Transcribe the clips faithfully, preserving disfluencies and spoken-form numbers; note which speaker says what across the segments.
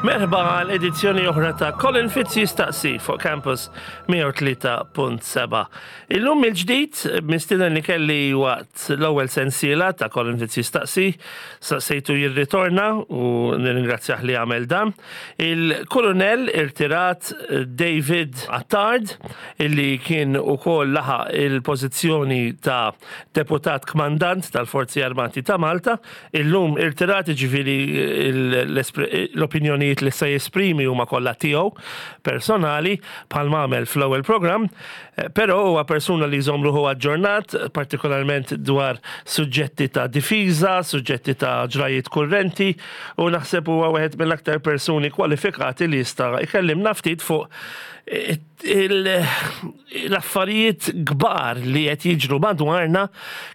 Speaker 1: Merħba għal edizzjoni oħra ta' Colin Fitz Jistaqsi fuq Campus mija u tlieta punt seba'. Illum il-ġdid mistieden li kelli waqt l-ewwel sensiela ta' Colin Fitz Jistaqsi, saqsejtu jirritorna u nirringrazzjah li għamel dan. Il-Kolonel irtirat David Attard, illi kien ukoll laħaq il-pożizzjoni ta' deputat kmandant tal-Forzi Armati ta' Malta, illum irtirat, ġifieri l-opinjonijiet li se jesprimi huma kollha tiegħu personali, bħal għamel fl-ewwel programm, eh, però huwa persuna li jżomm ruħu aġġornat, partikolarment dwar suġġetti ta' difiża, suġġetti ta' ġrajiet kurrenti, u naħseb huwa wieħed mill-aktar persuni kwalifikati li jista' jkellimna ftit fuq l-affarijiet kbar li qed jiġru madwarna,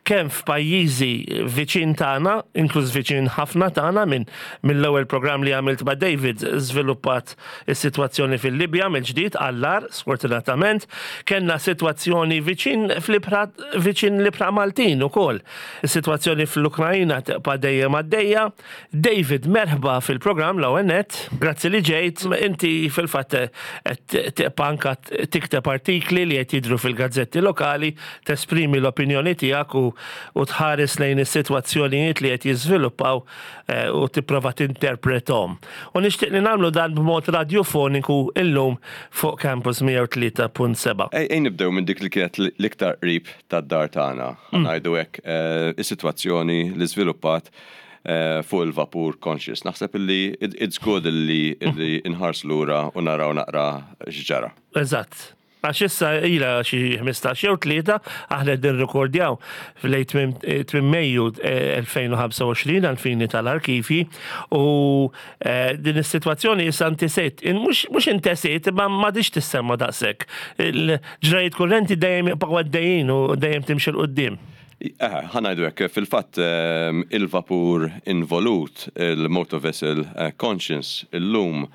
Speaker 1: kemm f'pajjiżi viċin tagħna, inkluż viċin ħafna tagħna. Minn mill-ewwel programm li għamilt ma' David żviluppat is-sitwazzjoni fil-Libja mill-ġdid għall-agħar, sfortunatament, kellna sitwazzjoni viċin fl-ibħra, viċin l-ibħra Maltin ukoll. Is-sitwazzjoni fl-Ukrajna tibqa' dejjem għaddejja. David, merħba fil-programm l-ewwel nett. Grazzi li ġejt. Inti fil-fatt qed tibqa' anka tikteb artikli li qed jidhru fil-gazzetti lokali, tesprimi l-opinjoni tiegħek u, u tħares lejn is-sitwazzjonijiet li qed jiżviluppaw eh, u tipprova tinterprethom. U nixtieq li nagħmlu dan b'mod radiofoniku illum fuq Campus mija u tlieta punt seba'.
Speaker 2: Ej, ej nibdew minn dik li kienet l-iktar qrib tad-dar tagħna. Ngħidu hekk, eh, is-sitwazzjoni li żviluppat eh, fuq il-vapur Conscious. Naħseb illi it's good illi illi inħarsu lura u naraw naqra x'ġara.
Speaker 1: Eżatt. Għax issa ila xi ħmistax jew tlieta, aħna qegħdin nirrekordjaw f'lejn tmiem Mejju elfejn u ħamsa u għoxrin għal fini tal-arkivi, u eh, din is-sitwazzjoni issa intesiet, mhux intesiet, imma m'għadhiex tissemma daqshekk. Il-ġrajiet kurrenti dejjem jibqgħu għaddejjin u dejjem timxi 'l quddiem.
Speaker 2: Eh, ħa ngħidu hekk, fil-fatt ehm, il-vapur involut, il-motor vessel eh, Conscience, illum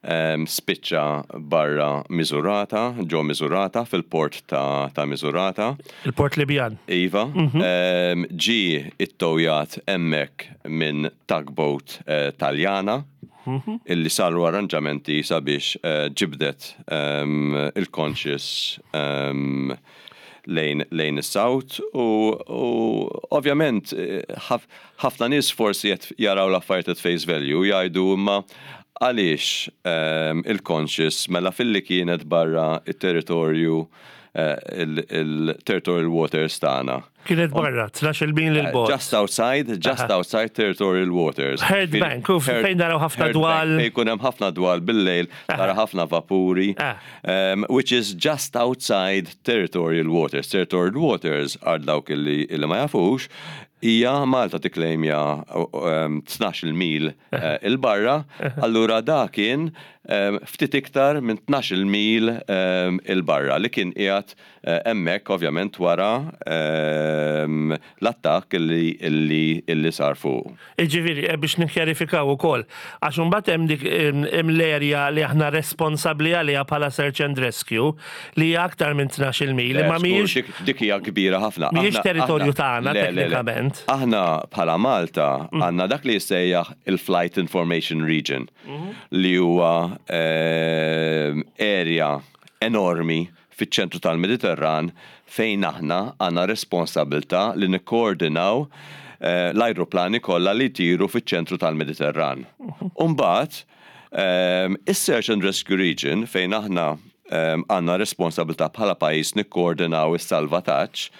Speaker 2: ehm, spiċċa barra Misurata, ġo Misurata, fil-port ta', ta Misurata.
Speaker 1: Il-port Libjan.
Speaker 2: Iva, ehm, ġi ittowjat hemmhekk minn tugboat eh, Taljana, illi saru arranġamenti sabiex eh, ġibdet ehm, il-Conscious ehm, lejn, lejn is-South u, u ovvjament eh, ħaf- ħafna nies forsi qed jaraw l-affarijiet at face value, jgħidu imma għaliex ehm, il-Conscious mela filli kienet barra il-territorju, eh, il-territorial waters tagħna?
Speaker 1: Kienet barra tnax-il mil 'il bogħod.
Speaker 2: Just outside, just outside territorial waters.
Speaker 1: Herd Bank, u fejn naraw ħafna
Speaker 2: Herd
Speaker 1: dwal.
Speaker 2: Bank, fejn jkun hemm ħafna dwal bil-lejl, tara ħafna vapuri,
Speaker 1: Ah.
Speaker 2: um, which is just outside territorial waters. Territorial waters, għal dawk illi, illi ma jafux, hija Malta tikklejmja um, tnax-il mil eh, 'il barra, allura da kien um, ftit iktar minn tnax-il mil um, 'il barra li kien qiegħed eh, hemmhekk ovvjament wara um, l-attakk illi, illi, illi sar fuq.
Speaker 1: Iġifieri, eh, biex nikkjarifikaw ukoll, għax imbagħad hemm dik hemm l-area li aħna responsabbli għaliha bħala search and rescue li hija aktar minn tnax-il mil, imma
Speaker 2: Le,
Speaker 1: mhijiex
Speaker 2: żgur, dik- dik hija kbira ħafna.
Speaker 1: Mhijiex
Speaker 2: Aħna-
Speaker 1: territorju
Speaker 2: aħna-
Speaker 1: tagħna,
Speaker 2: le, le, le.
Speaker 1: teknikament.
Speaker 2: Aħna bħala Malta għandna dak li jissejjaħ il-Flight Information Region, li huwa ehm, area enormi fiċ-ċentru tal-Mediterran fejn aħna għandna responsabilità li nikkoordinaw eh, l-ajruplani kollha li jtiru fiċ-ċentru tal-Mediterran. Umbagħad, um, is-Search and Rescue Region, fejn aħna um, għandna responsabilità bħala pajjiż nikkoordinaw is-salvataġġ,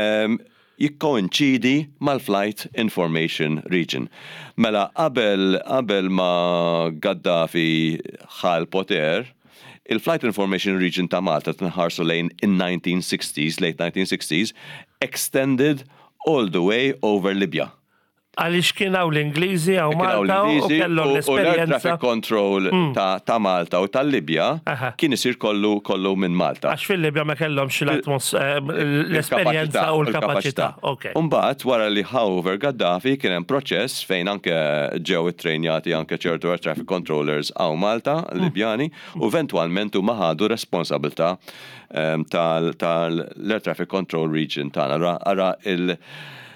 Speaker 2: um, jikkoinċidi mal-Flight Information Region. Mela qabel qabel ma Gaddafi ħa l-poter, il-Flight Information Region ta' Malta, tnħarsu lejn in-nineteen sixties, late nineteen sixties, extended all the way over Libya.
Speaker 1: Għaliex kien hawn l-Ingliżi hawn
Speaker 2: Kien hawn
Speaker 1: Malta u
Speaker 2: l-Ingliżi
Speaker 1: kellhom
Speaker 2: u- u l-air
Speaker 1: l-esperjenza.
Speaker 2: traffic control ta', ta' Malta u tal-Libja
Speaker 1: Aha.
Speaker 2: kien isir kollu kollu minn Malta.
Speaker 1: Għax fil-Libja ma kellhomx l-atmos eh, l-esperjenza u l-kapaċità. Ok.
Speaker 2: Umbagħad wara li ħa over Gaddafi kien hemm proċess fejn anke ġew ittrejnjati anke ċertu air traffic controllers hawn Malta, Libjani, u eventwalment huma ħadu responsabilità ehm, tal- tal-air traffic control region tagħna. Ara, ara il-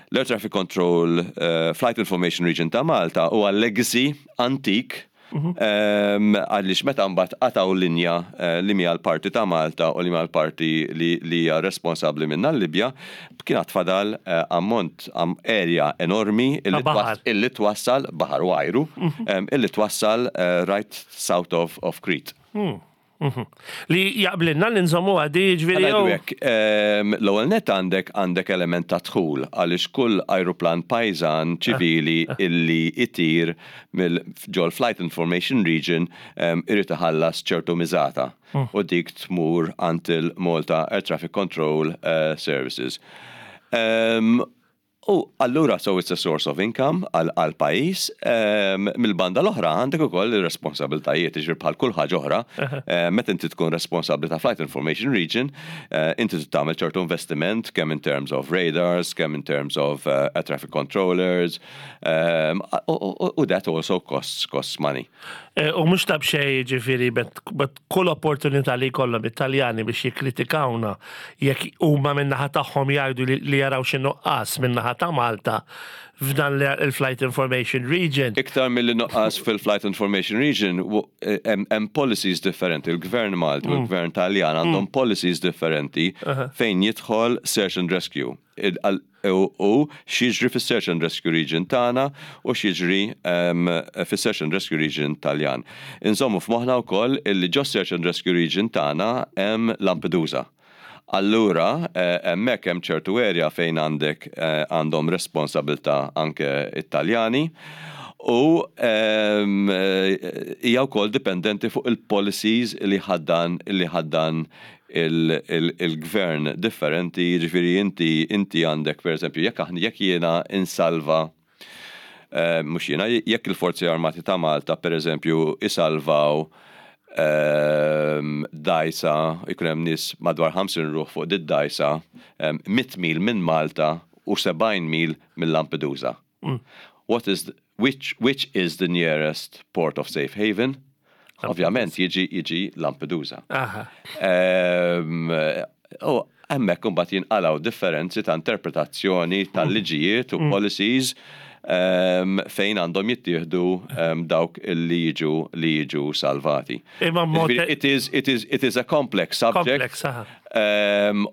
Speaker 2: l-Air Traffic Control uh, Flight Information Region ta' Malta huwa legacy antik. Em, Għaliex meta mbagħad qatgħu linja eh, li hija l-parti ta' Malta u li hija l-parti li li hija responsabbli minna l-Libja, kien għad fadal eh, ammont am area enormi illi
Speaker 1: Ta' baħar.
Speaker 2: twas- illi twassal baħar u ajru, em, illi twassal eh, right south of, of Crete.
Speaker 1: Li jaqblinna li nżommu għadi ġifieri.
Speaker 2: Ħa ngħidu hekk, em, l-ewwel net għandek għandek element ta' dħul għaliex kull ajruplan pajżan ċivili illi itir mill ġol Flight Information Region em, irid iħallas ċertu miżata u dik tmur għand il-Malta Air Traffic Control eh, Services. Em, U allura so it's a source of income għal għal pajjiż um, mill-banda l-oħra għandek ukoll ir-responsabiltajiet, jiġifieri bħal kull ħaġa oħra, eh, meta inti tkun responsabbli ta' Flight Information Region, eh, inti trid tagħmel ċertu investiment kemm in terms of radars, kemm in terms of uh, air traffic controllers, um, u, u, u that also costs costs money.
Speaker 1: Eh, U mhux ta' b'xejn ġifieri, bet bet kull opportunità li jkollhom Italjani biex jikkritikawna jekk huma min-naħa tagħhom jgħidu li, li jaraw xi nuqqas min-naħa ta' Malta f'dan l- il-Flight Information Region.
Speaker 2: Iktar mill nuqqas fil-Flight Information Region, w- eh, hemm hemm policies differenti. Il-Gvern Malti u l-Gvern Taljan għandhom policies differenti fejn jidħol Search and Rescue. Il- għal- U u x'jiġri fis-Search and Rescue Region tagħna u x'jiġri em, fis-Search and Rescue Region Taljan. Inżommu f'moħħna wkoll illi ġo Search and Rescue Region tagħna hemm Lampedusa. Allura, eh, hemmhekk hemm ċertu area fejn għandek eh, għandhom responsabilità anke Italjani u em, eh, hija wkoll dipendenti fuq il-policies li ħaddan li ħaddan il-gvern differenti, jiġifieri inti inti għandek per eżempju jekk aħna jekk jiena insalva eh, mhux jiena, jekk il-Forzi Armati ta' Malta per eżempju isalvaw ehm, dgħajsa, ikun hemm nies madwar ħamsin ruħ fuq dit dgħajsa, ehm, mitt mil minn Malta u sebgħin mil minn Lampedusa. What is the, which, which is the nearest port of safe haven? Ovvjament jiġi jiġi Lampedusa.
Speaker 1: Aha.
Speaker 2: Ehm, U hemmhekk imbagħad jinqalgħu differenzi ta' interpretazzjoni tal-liġijiet u policies ehm, fejn għandhom jittieħdu ehm, dawk li jiġu li jiġu salvati.
Speaker 1: Imma mod-
Speaker 2: Jiġifieri, It is, it is, it is a complex subject.
Speaker 1: Complex, aha.
Speaker 2: um,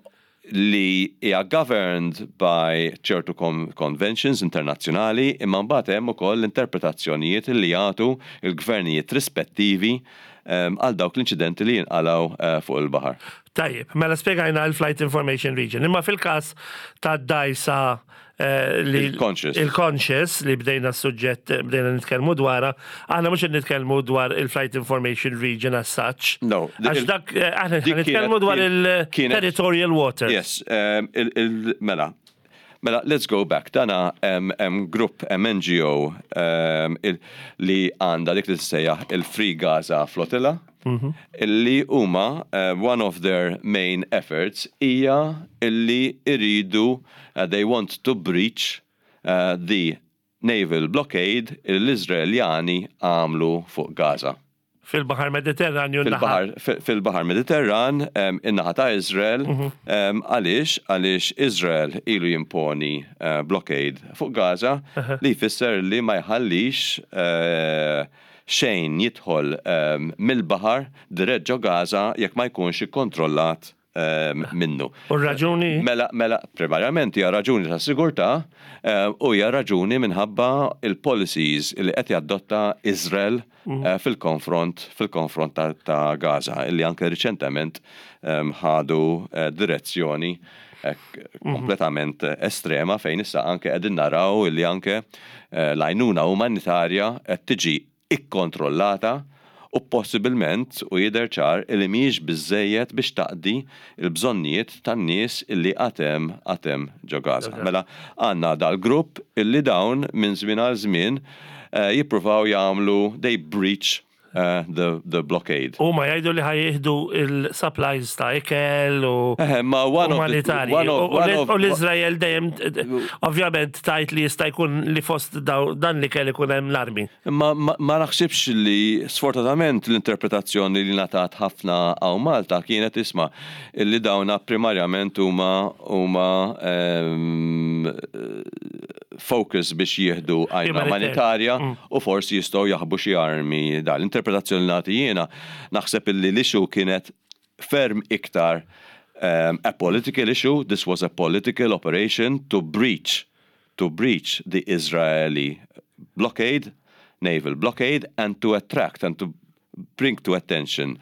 Speaker 2: li hija governed by ċertu con conventions internazzjonali, imma mbagħad hemm ukoll interpretazzjonijiet li jagħtu il-gvernijiet rispettivi um, għal dawk l-inċidenti li jinqalgħu uh, fuq il-baħar.
Speaker 1: Tajjeb, mela spiegajna il-Flight Information Region. Imma fil-kas ta' dgħajsa eh, li
Speaker 2: Il-Conscious.
Speaker 1: Il-Conscious li bdejna s-suġġett, bdejna nitkellmu dwarha, aħna mhux qed nitkellmu dwar il-Flight Information Region as such.
Speaker 2: No,
Speaker 1: Għax
Speaker 2: il-
Speaker 1: dak, eh, aħna
Speaker 2: dik
Speaker 1: nitkellmu
Speaker 2: kienet-
Speaker 1: dwar
Speaker 2: kienet-
Speaker 1: il-territorial waters.
Speaker 2: Yes, um, il, il, mela, mela, let's go back. Dana hemm hemm grupp hemm N G O um, il, li għandha dik li tissejjaħ il-Free Gaza Flotilla, illi huma uh, one of their main efforts hija illi iridu uh, they want to breach uh, the naval blockade l-Izraeljani għamlu fuq Gaza.
Speaker 1: Fil-Bahar Mediterranju.
Speaker 2: Fil-Bahar fil-Bahar Mediterran, em, in-naħa ta' Izrael, em, għaliex għaliex Izrael ilu jimponi eh, blockade fuq Gaza li jfisser li ma jħallix eh, xejn jidħol em, mill-bahar dirett ġo Gaza jekk ma jkunx ikkontrollat em, minnu.
Speaker 1: U raġuni?
Speaker 2: Mela, mela, primarjament hija raġuni ta' sigurtà eh, u hija raġuni minħabba il-policies li qed jadotta Izrael eh, fil-konfront fil-konfront ta', ta' Gaza, illi anke riċentement em, ħadu eh, direzzjoni eh, kompletament estrema fejn issa anke qegħdin naraw illi anke eh, l-għajnuna umanitarja qed tiġi ikkontrollata u possibilment u jidher ċar illi mhijiex biżejjed biex taqdi il-bżonnijiet tan-nies illi għadhom għadhom ġo Gaza. Mela għandna dal-grupp illi dawn minn żmien għal żmien eh, jippruvaw jagħmlu, they breach uh, the, the blockade.
Speaker 1: U ma jgħidu li ħa jieħdu il-supplies ta' ikel u
Speaker 2: Eh, ma one of the,
Speaker 1: umanitarji.
Speaker 2: one of,
Speaker 1: U
Speaker 2: one of,
Speaker 1: u l-Izrael dejjem, ovvjament, tajt li jista' jkun li fost daw- dan li kelli jkun hemm l-armi.
Speaker 2: Ma, ma, ma naħsibx li sfortunatament l-interpretazzjoni li ngħatat ħafna hawn Malta kienet, isma', li dawna primarjament huma huma um, focus biex jieħdu għajnuna
Speaker 1: Humanitarja.
Speaker 2: umanitarja u forsi jistgħu jaħbu xi armi. Da l-interpretazzjoni li nagħti jiena, naħseb illi l-issue kienet ferm iktar um, a political issue. This was a political operation to breach to breach the Israeli blockade, naval blockade, and to attract and to bring to attention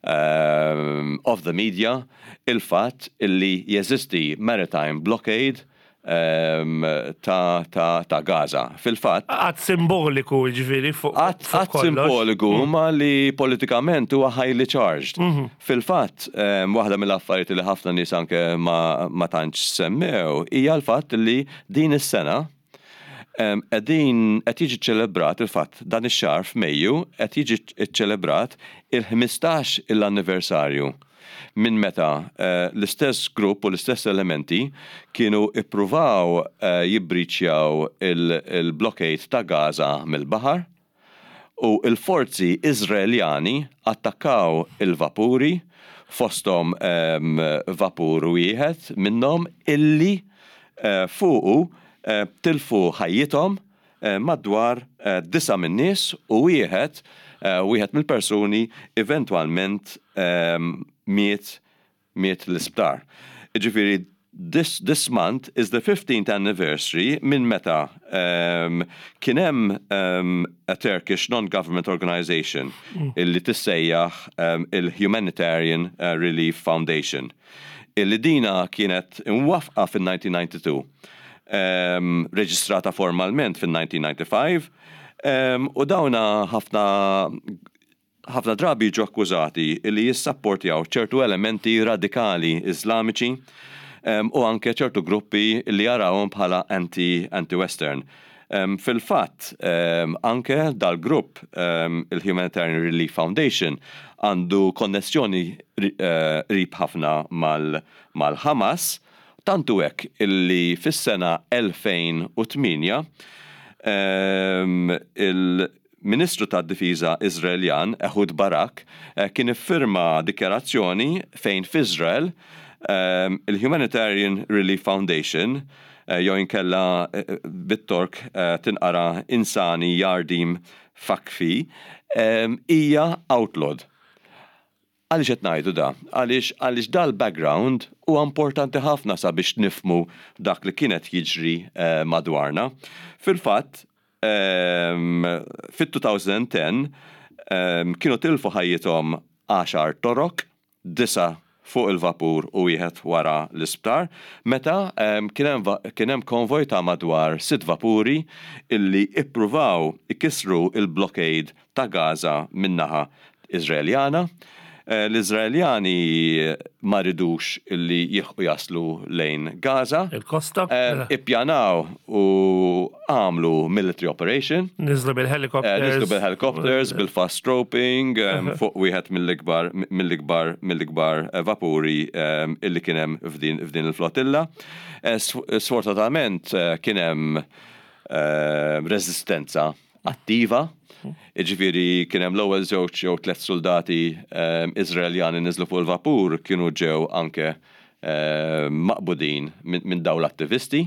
Speaker 2: um, of the media il-fatt illi jeżisti maritime blockade um, ta', ta, ta' Gaza. Fil-fatt,
Speaker 1: Att simboliku, ġifieri, fuq
Speaker 2: Att,
Speaker 1: fuq
Speaker 2: att
Speaker 1: kollox.
Speaker 2: simboliku ma li politikament huwa highly charged. Fil-fatt, um, waħda mill-affarijiet li ħafna nies anke ma, ma tantx semmew hija l-fatt li din is-sena um, qegħdin qed jiġi ċelebrat, il-fatt dan ix-xahar f'Mejju qed jiġi ċelebrat il-ħmistax il-anniversarju minn meta eh, l-istess grupp u l-istess elementi kienu ippruvaw uh, jibbreachjaw il-blockade ta' Gaza mill-baħar u il-forzi Izraeljani attakkaw il-vapuri, fostom um, vapur wieħed minnhom illi uh, fuqu uh, tilfu ħajjithom uh, madwar uh, disa minn nies u wieħed uh, wieħed mill-persuni eventwalment um, miet miet l-isptar. Ġifieri, this, this month is the fifteenth anniversary minn meta um, kien hemm um, a Turkish non-government organization illi tissejjaħ um, il-Humanitarian uh, Relief Foundation. Illi dina kienet imwaqqfa fil-elf disa' mija u disgħa u disgħin, um, reġistrata formalment fil-elf disa' mija u disgħa u disgħin, um, u dawna ħafna ħafna drabi ġu akkużati li jissapportjaw ċertu elementi radikali Islamiċi um, u anke ċertu gruppi li jarawhom bħala anti- anti-Western. Um, Fil-fatt, um, anke dal-grupp um, il-Humanitarian Relief Foundation għandu konnessjoni uh, qrib ħafna mal- mal-Hamas, tantu hekk illi fis-sena elfejn u tmienja um, il-Ministru tad-Difiża Izraeljan Ehud Barak eh, kien iffirma dikjarazzjoni fejn f'Izrael um, il-Humanitarian Relief Foundation eh, jew inkella eh, bit-Tork eh, tinqara Insani Yardim Vakfi em, hija outlawed. Għaliex qed ngħidu da? Għaliex għaliex dal-background huwa importanti ħafna sabiex nifhmu dak li kienet jiġri eh, madwarna. Fil-fatt, um, fit-elfejn u għaxra um, kienu tilfu ħajjithom għaxar Torok, disa fuq il-vapur u wieħed wara l-isptar, meta um, kien hemm va- kien hemm konvoj ta' madwar sitt vapuri illi ippruvaw ikisru il-blockade ta' Gaza min-naħa Izraeljana. Eh, L-Izraeljani ma ridux illi jilħqu jaslu lejn Gaza.
Speaker 1: Il-kosta.
Speaker 2: Eh, Ippjanaw u għamlu military operation.
Speaker 1: Niżlu bil-helicopters.
Speaker 2: Eh, Niżlu bil-helicopters, bil-fast roping, um, fuq wieħed mill-ikbar mill-ikbar mill-ikbar eh, vapuri um, illi kien hemm f'din f'din il-flotilla. Eh, sf- Sfortunatament eh, kien hemm eh, resistenza attiva. Iġifieri kien hemm l-ewwel żewġ jew tliet soldati um, Izraeljani niżlu fuq il-vapur kienu ġew anke um, maqbudin minn min dawn l-attivisti.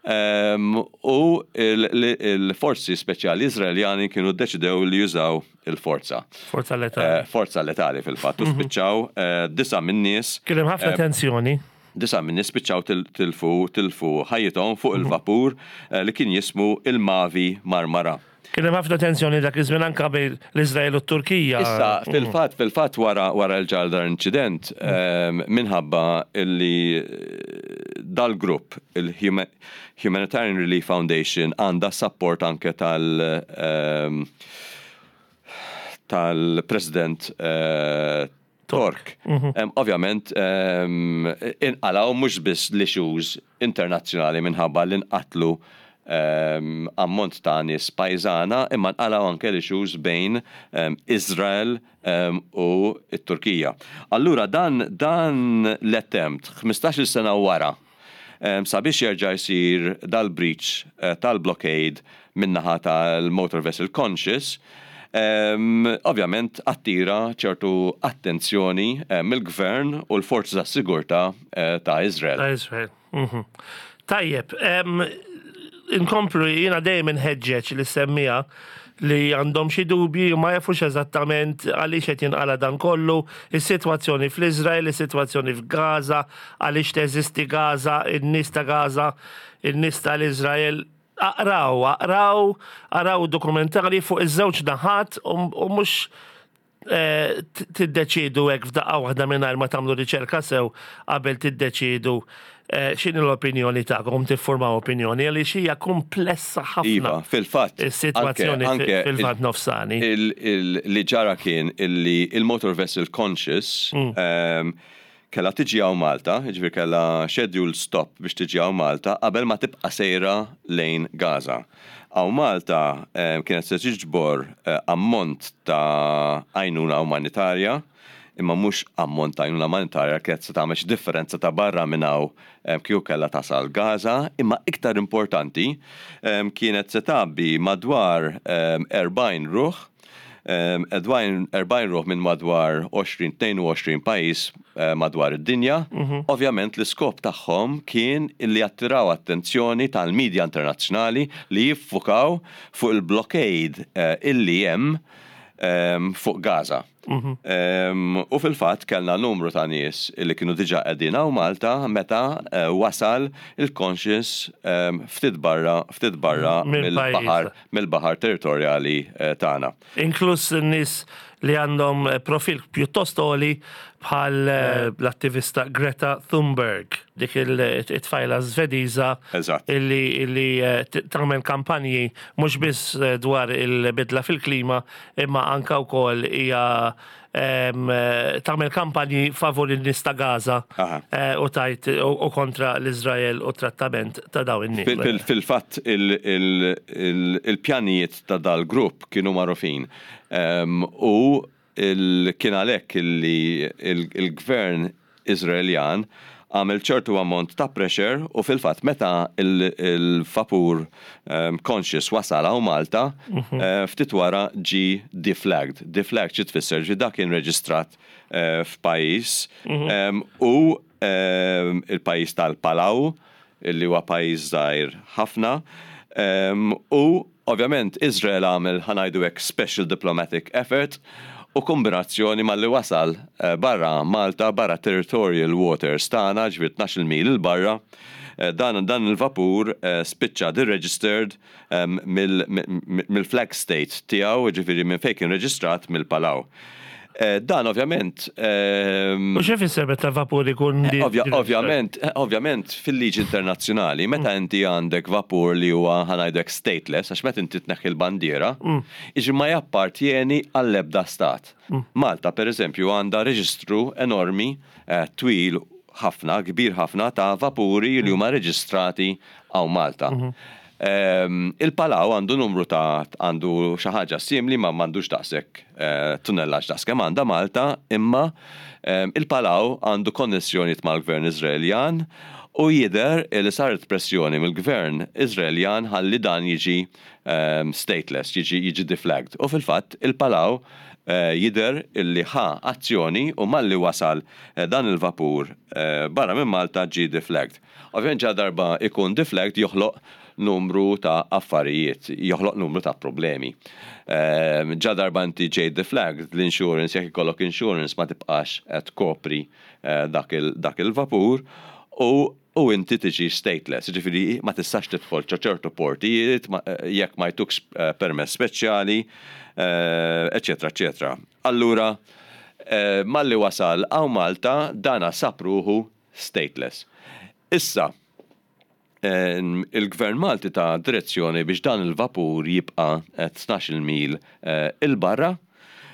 Speaker 2: Um, u il- il- il-forzi speċjali Izraeljani kienu deċidew li jużaw il-forza.
Speaker 1: Forza letali.
Speaker 2: Eh, forza letali fil-fatt. U spiċċaw eh, disa minn nies
Speaker 1: Kien hemm ħafna tensjoni.
Speaker 2: Disa minn nies spiċċaw til- tilfu tilfu ħajjithom fuq il-vapur eh, li kien jismu il-Mavi Marmara.
Speaker 1: Kien hemm ħafna tensjoni dak iż-żmien anke bejn l-Iżrael u t-Turkija.
Speaker 2: Issa, fil-fatt, fil-fatt wara wara l-ġar dar incident, em, minħabba illi eh, dal-grupp, il-Humanitarian Relief Foundation, għanda support anke tal em, tal-President eh, Tork. Em, Ovvjament, em, inqalaw mhux biss l-issues internazzjonali minħabba li nqatlu um, ammont ta' nies pajżana, imma nqalgħu anke l-issues bejn um, Izrael um, u t-Turkija. Allura dan, dan l-attempt ħmistax-il sena wara um, sabiex jerġa' jsir dal-breach uh, tal-blockade min-naħa tal-Motor Vessel Conscious, um, ovvjament attira ċertu attenzjoni uh, mill-gvern u l-forzi ta' sigurtà uh, ta' Izrael.
Speaker 1: Ta' Izrael. Mhm. Tajjeb, em, inkomplu, jiena dejjem inħeġġeġ li semmija li għandhom xi dubji u ma jafux eżattament għaliex qed jinqala dan kollu, is-sitwazzjoni fl-Iżrael, is-sitwazzjoni f'Gaza, għaliex teżisti Gaza, in-nies ta' Gaza, in-nies tal-Iżrael. Aqraw, aqraw, aqraw dokumentari fuq iż-żewġ naħat u u mhux eh, t- tiddeċidu hekk f'daqqa waħda mingħajr ma tagħmlu riċerka sew qabel tiddeċidu eh, x'inhi l-opinjoni tagħkom, tiffurmaw opinjoni, għaliex hija komplessa ħafna
Speaker 2: Iva, fil-fatt.
Speaker 1: is-sitwazzjoni
Speaker 2: anke- anke
Speaker 1: fil-Lvant Nofsani.
Speaker 2: il- il- Li ġara kien illi il-Motor Vessel Conscious
Speaker 1: Mm.
Speaker 2: um, kella tiġi hawn Malta, jiġifieri kella scheduled stop biex tiġi hawn Malta qabel ma tibqa' sejra lejn Gaza. Hawn Malta um, kienet se tiġbor uh, ammont ta' għajnuna umanitarja, imma mhux ammont ta' għajnuna umanitarja kienet se tagħmel xi differenza ta' barra minn hawn um, kieku kellha tasal Gaza, imma iktar importanti um, kienet se tgħabbi madwar um, erbgħin ruħ um, erbgħin ruħ minn madwar għoxrin, tnejn u għoxrin pajjiż uh, madwar id-dinja. Ovvjament l-iskop tagħhom kien illi jattiraw attenzjoni tal-medja internazzjonali li jiffukaw fuq il-blockade uh, illi hemm um, fuq Gaza. Um, u fil-fatt kellna numru ta' nies li kienu diġà qegħdin hawn Malta meta uh, wasal il-Conscious um, ftit barra ftit barra
Speaker 1: Mill-pajjiż.
Speaker 2: mill-baħar mill-baħar territorjali uh, tagħna.
Speaker 1: Inkluż nies li għandhom eh, profil pjuttost għoli bħal eh, l-attivista Greta Thunberg, dik il-tfajla Svediża
Speaker 2: Eżatt.
Speaker 1: illi, illi eh, t- tagħmel kampanji mhux biss eh, dwar il-bidla fil-klima, imma anka wkoll hija em, eh, tagħmel kampanji favur in-nies ta' Gaza
Speaker 2: Aha.
Speaker 1: eh, u tajt u u kontra l-Iżrael u trattament ta' dawn in-nies.
Speaker 2: Fil- fil- Fil-fatt il- il- il- il-pjanijiet ta' dal-grupp kienu magħrufin. Um, u il- kien għalhekk illi il- il-gvern Izraeljan għamel ċertu ammont ta' pressure u fil-fatt meta il- il-vapur um, Conscious wasal hawn Malta, eh, ftit wara ġi deflagged. Deflagged xi tfisser? Ġi dak kien reġistrat eh, f'pajjiż um, u um, il-pajjiż tal-Palau, illi huwa pajjiż żgħir ħafna. Um, u ovvjament Izrael għamel, ħa ngħidu hekk, special diplomatic effort u kombinazzjoni malli wasal eh, barra Malta, barra territorial waters tagħna, ġifieri tnax-il mil 'il barra, eh, dan, dan il-vapur eh, spiċċa deregistered um, mill-flag state tiegħu, ġifieri minn fejn kien reġistrat, mill-Palau. Eh, Dan ovvjament ehm,
Speaker 1: U x'ifisser meta vapur ikun di-
Speaker 2: Ovvja, ovvjament, eh, ovvjament fil-liġi internazzjonali, meta inti għandek vapur li huwa, ħa ngħidlek, stateless, għax meta inti tneħħi l-bandiera, iġi ma jappartjeni għall-ebda stat. Malta, per eżempju, għandha reġistru enormi, eh, twil ħafna, kbir ħafna ta' vapuri li huma reġistrati hawn Malta. Ehm, Il-Palau għandu numru ta' għandu xi ħaġa simili ma m'għandux daqshekk eh, tunnellaġġ daqs kemm għandha Malta, imma ehm, il-Palau għandu konnessjonijiet mal-gvern Iżraeljan u jidher li saret pressjoni mill-gvern Iżraeljan ħalli dan jiġi ehm, stateless, jiġi jiġi deflagged. U fil-fatt il-Palau eh, jidher illi ħa azzjoni u malli wasal eh, dan il-vapur eh, barra minn Malta ġi deflagged. Ovvjament ġa darba ikun deflagged joħloq numru ta' affarijiet, joħloq numru ta' problemi. Ehm, Ġa darba inti ġejt deflagged, l-insurance, jekk ikollok insurance, ma tibqax qed tkopri eh, dak il- dak il-vapur u u inti tiġi stateless, ġifieri ma tistax tidħol ċo ċertu portijiet ma- eh, jekk ma jtukx eh, permess speċjali, eh, eccetera, eccetera. Allura, eh, malli wasal hawn Malta, dana sab ruħu stateless. Issa, em, il-gvern Malti ta direzzjoni biex dan il-vapur jibqa tnax-il mil eh, 'il barra.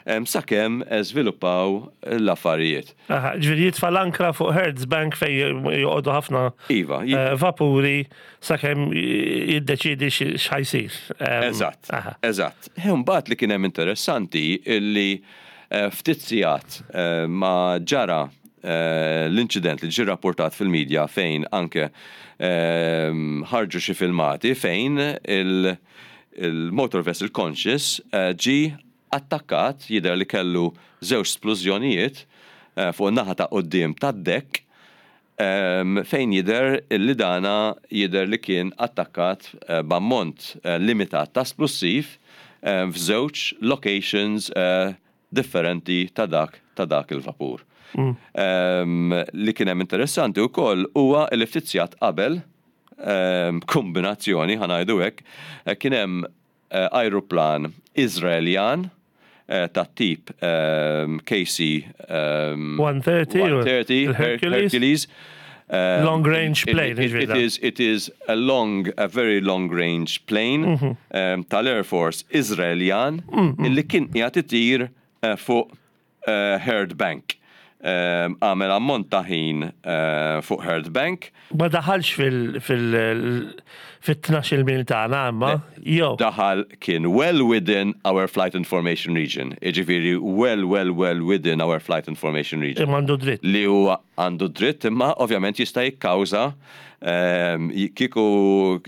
Speaker 2: em, sakemm eh, żviluppaw l-affarijiet.
Speaker 1: Aha, ġifieri jitfa' l-ankra fuq Herds Bank fejn joqogħdu ħafna
Speaker 2: Iva, ji-
Speaker 1: eh, vapuri sakemm jiddeċidi x'ħa jsir. Em,
Speaker 2: Eżatt,
Speaker 1: aha.
Speaker 2: eżatt. Mbagħad li kien hemm interessanti illi eh, ftit sigħat eh, ma ġara eh, l-inċident li ġie rapportat fil-medja fejn anke eh, ħarġu xi filmati fejn il- il-motor vessel Conscious eh, ġi attakkat, jidher li kellu żewġ splużjonijiet eh, fuq naħa ta' quddiem tad-deck um, fejn jidher li dana jidher li kien attakkat uh, b'ammont uh, limitat ta' splussiv uh, f'żewġ locations uh, differenti ta' dak ta' dak il-vapur. Mm. Um, li kien hemm interessanti wkoll huwa li ftit sigħat qabel um, kombinazzjoni, ħa ngħidu hekk, eh, kien hemm uh, aeroplan Izraeljan uh, ta' tip um, K C um,
Speaker 1: one thirty,
Speaker 2: one thirty
Speaker 1: il-Hercules.
Speaker 2: Hercules. Um,
Speaker 1: Long range
Speaker 2: it-
Speaker 1: plane,
Speaker 2: It, it,
Speaker 1: ġifieri.
Speaker 2: it is it is a long, a very long range plane
Speaker 1: Mhm.
Speaker 2: um, tal-Air Force Izraeljan illi kien qiegħed itir uh, fuq uh, Herd Bank. Um, Għamel ammont ta' ħin uh, fuq Herd Bank.
Speaker 1: Ma daħalx fil- fil- fit-tnax mil tagħna imma, jew.
Speaker 2: Daħal, kien well within our flight information region. Iġifieri well, well, well within our flight information region.
Speaker 1: Imma għandu dritt.
Speaker 2: Li huwa għandu dritt, imma ovvjament jista' jikkawża ehm, kieku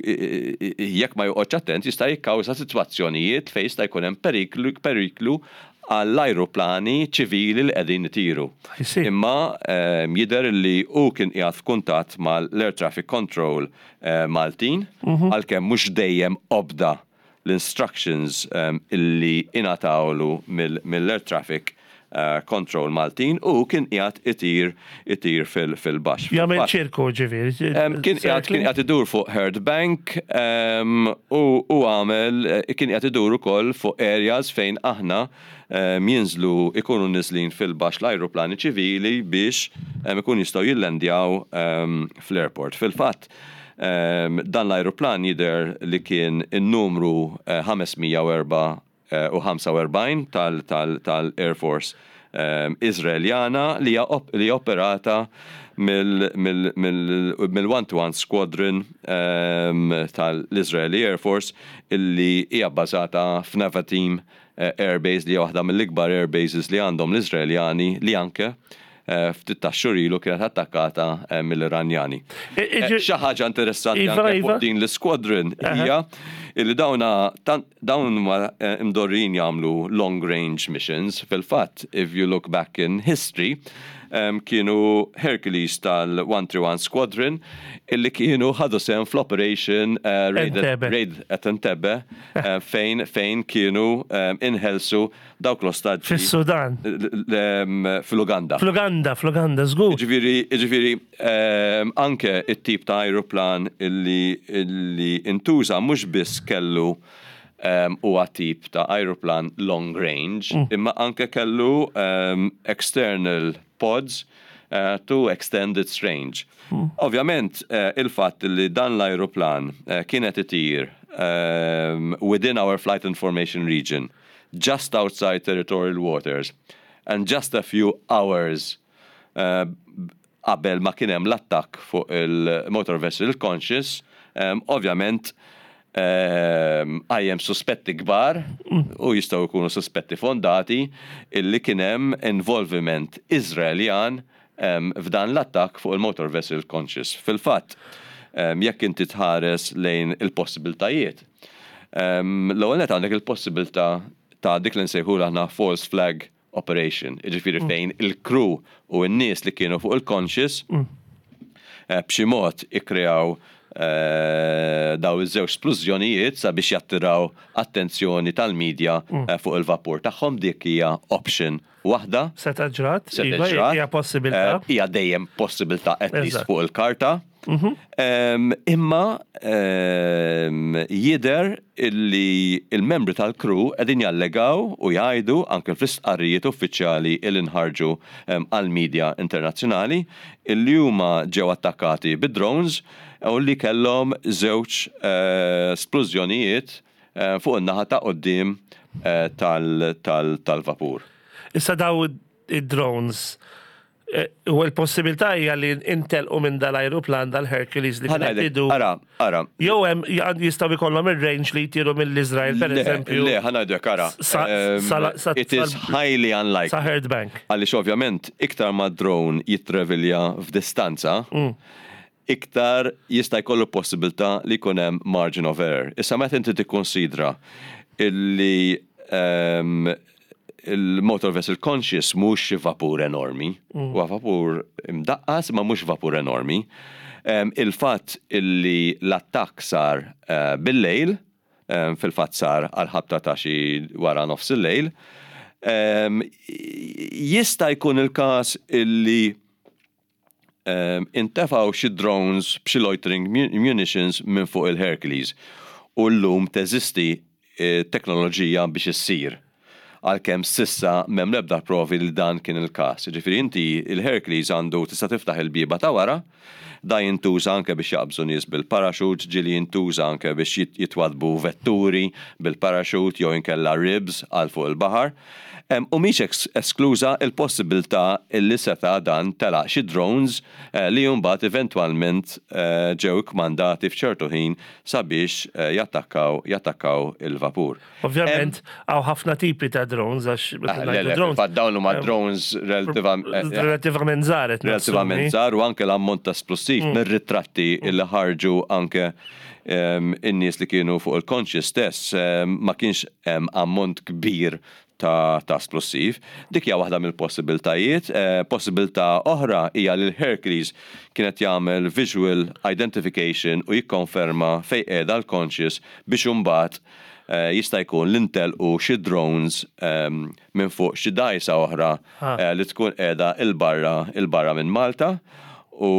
Speaker 2: jekk ma joqgħodx attent jista' jikkawża sitwazzjonijiet fejn jista' jkun hemm periklu periklu għall-ajruplani ċivili li qegħdin itiru.
Speaker 1: I see.
Speaker 2: Imma ehm, jidher li hu kien qiegħed f'kuntatt mal-Air Traffic Control eh, Maltin, għalkemm mhux dejjem obda l-instructions um, illi ingħatawlu mill-Air Traffic uh, Control Maltin, u kien qiegħed itir itir fil- fil-baxx.
Speaker 1: Jagħmel
Speaker 2: Fil-fatt,
Speaker 1: ċirku ġifieri.
Speaker 2: Um, kien qiegħed kien qiegħed idur fuq Herd Bank um, u u għamel eh, kien qiegħed idur ukoll fuq areas fejn aħna um, jinżlu, ikunu niżlin fil-baxx l-ajruplani ċivili biex um, ikun jistgħu jillendjaw um, fl-airport. Fil-fatt, um, dan l-ajruplan jidher li kien in-numru eh, ħames mija u erbgħa u ħamsa u erbgħin tal- tal- tal-Air Force um, Izraeljana li hija op- li operata mill-one two one Squadron um, tal-Israeli Air Force illi hija bbażata f'Nevatim eh, Air Base, li hija waħda mill-ikbar air bases li għandhom l-Izraeljani, li anke eh, ftit ta' xhur ilu kienet attakkata eh, mill-Iranjani. Eh, Xi ħaġa interessanti
Speaker 1: Iva,
Speaker 2: anke
Speaker 1: iva.
Speaker 2: fuq din l-squadron hija illi dawna tan- dawn huma eh, imdorrin jagħmlu long range missions. Fil-fatt, if you look back in history, um, kienu Hercules tal-one three one Squadron illi kienu ħadu sehem fl-operation uh, Raid,
Speaker 1: Entebbe.
Speaker 2: Raid at Entebbe uh, fejn fejn kienu um, inħelsu dawk l-ostaġġi
Speaker 1: Fis-Sudan.
Speaker 2: l- um, fl-Uganda.
Speaker 1: Fl-Uganda, fl-Uganda, żgur.
Speaker 2: Ġifieri, ġifieri, um, anke it-tip ta' aeroplan illi, illi intuża mhux biss kellu um, huwa tip ta' aeroplan long range, mm. imma anke kellu um, external pods uh, to extend its range. Mm. Ovvjament, uh, il-fatt li dan l-aeroplan uh, kienet itir um, within our flight information region, just outside territorial waters, and just a few hours uh, qabel ma kien hemm l-attakk fuq il-motor vessel Conscious, um, ovvjament um, qajjem suspetti kbar u jistgħu jkunu suspetti fondati illi kien hemm involviment Izraeljan um, f'dan l-attakk fuq il-motor vessel Conscious. Fil-fatt, um, jekk inti tħares lejn il-possibiltajiet, um, l-ewwel nett għandek il-possibilità ta' dik li nsejħu aħna false flag operation, jiġifieri fejn il-crew u n-nies li kienu fuq il-Conscious eh, b'xi mod ikkreaw eh, daw iż-żewġ splużjonijiet sabiex jattiraw attenzjoni tal-medja eh, fuq il-vapur tagħhom. Dik hija option waħda.
Speaker 1: Seta ġrat,
Speaker 2: Se
Speaker 1: iva,
Speaker 2: ġrat.
Speaker 1: hija possibilità.
Speaker 2: Eh, Hija dejjem possibilità, at least
Speaker 1: Eżatt.
Speaker 2: fuq il-karta. Em, Imma em, jidher illi il-membri tal-crew qegħdin jallegaw u jgħidu anke fl-istqarrijiet uffiċjali il inħarġu em, għal-medja internazzjonali illi huma ġew attakkati bid-drones u li kellhom żewġ eh, splużjonijiet eh, fuq in-naħa ta' quddiem eh, tal-vapur.
Speaker 1: Issa daw id-drones, eh, u l-possibilità hija li intelqu minn dal-ajruplan, dal-Hercules li kien idu.
Speaker 2: Ara, ara.
Speaker 1: Jew hemm jistgħu jkollhom ir-range li jtiru mill-Iżrael, per eżempju.
Speaker 2: Le, ħa ngħidlek, ara. It is highly unlikely.
Speaker 1: Sa Hurd Bank.
Speaker 2: Għaliex ovvjament iktar ma drone jittravilja f'distanza, mm. iktar jista' jkollu possibilità li jkun hemm margin of error. Issa meta inti tikkonsidra illi um, il-motor vessel Conscious mhux xi vapur enormi, mm. huwa vapur imdaqqas ma mhux vapur enormi. Um, il-fatt illi l-attakk sar uh, bil-lejl, um, fil-fatt sar għal-ħabta ta' xi wara nofs il-lejl, um, jista' jkun il-każ illi um, intefgħu xi drones b'xi loitering munitions minn fuq il-Hercules u llum teżisti eh, teknoloġija biex issir, għalkemm s'issa m'hemm l-ebda provi li dan kien il-każ. Ġifieri inti il-Hercules għandu tista' tiftaħ il-bieba ta' wara, da jintuża anke biex jaqbżu nies bil-parachute, ġieli jintuża anke biex jitwadbu vetturi bil-parachute jew inkella ribs għal fuq il-baħar. U mhix eskluża il-possibilità illi seta' dan telaq xi drones eh, li mbagħad eventwalment eh, ġew kmandati f'ċertu ħin sabiex eh, jattakkaw jattakkaw il-vapur.
Speaker 1: Ovvjament, hawn ħafna tipi ta' drones, għax
Speaker 2: ah, drones. Dawn huma drones
Speaker 1: relativament żgħar.
Speaker 2: Relativament żgħar u anke l-ammont ta' splussiv mm. mir-ritratti li ħarġu anke in-nies li kienu fuq il-Conscious stess, ma kienx ammont kbir ta', ta splussiv. Dik hija waħda mill-possibiltajiet. Eh, possibilità oħra hija li l-Hercules kienet jagħmel visual identification u jikkonferma fejn qiegħda l-Conscious biex imbagħad eh, jista' jkun l-intelqu xi drones um, minn fuq xi dgħajsa oħra eh, li tkun qiegħda il-barra il-barra minn Malta u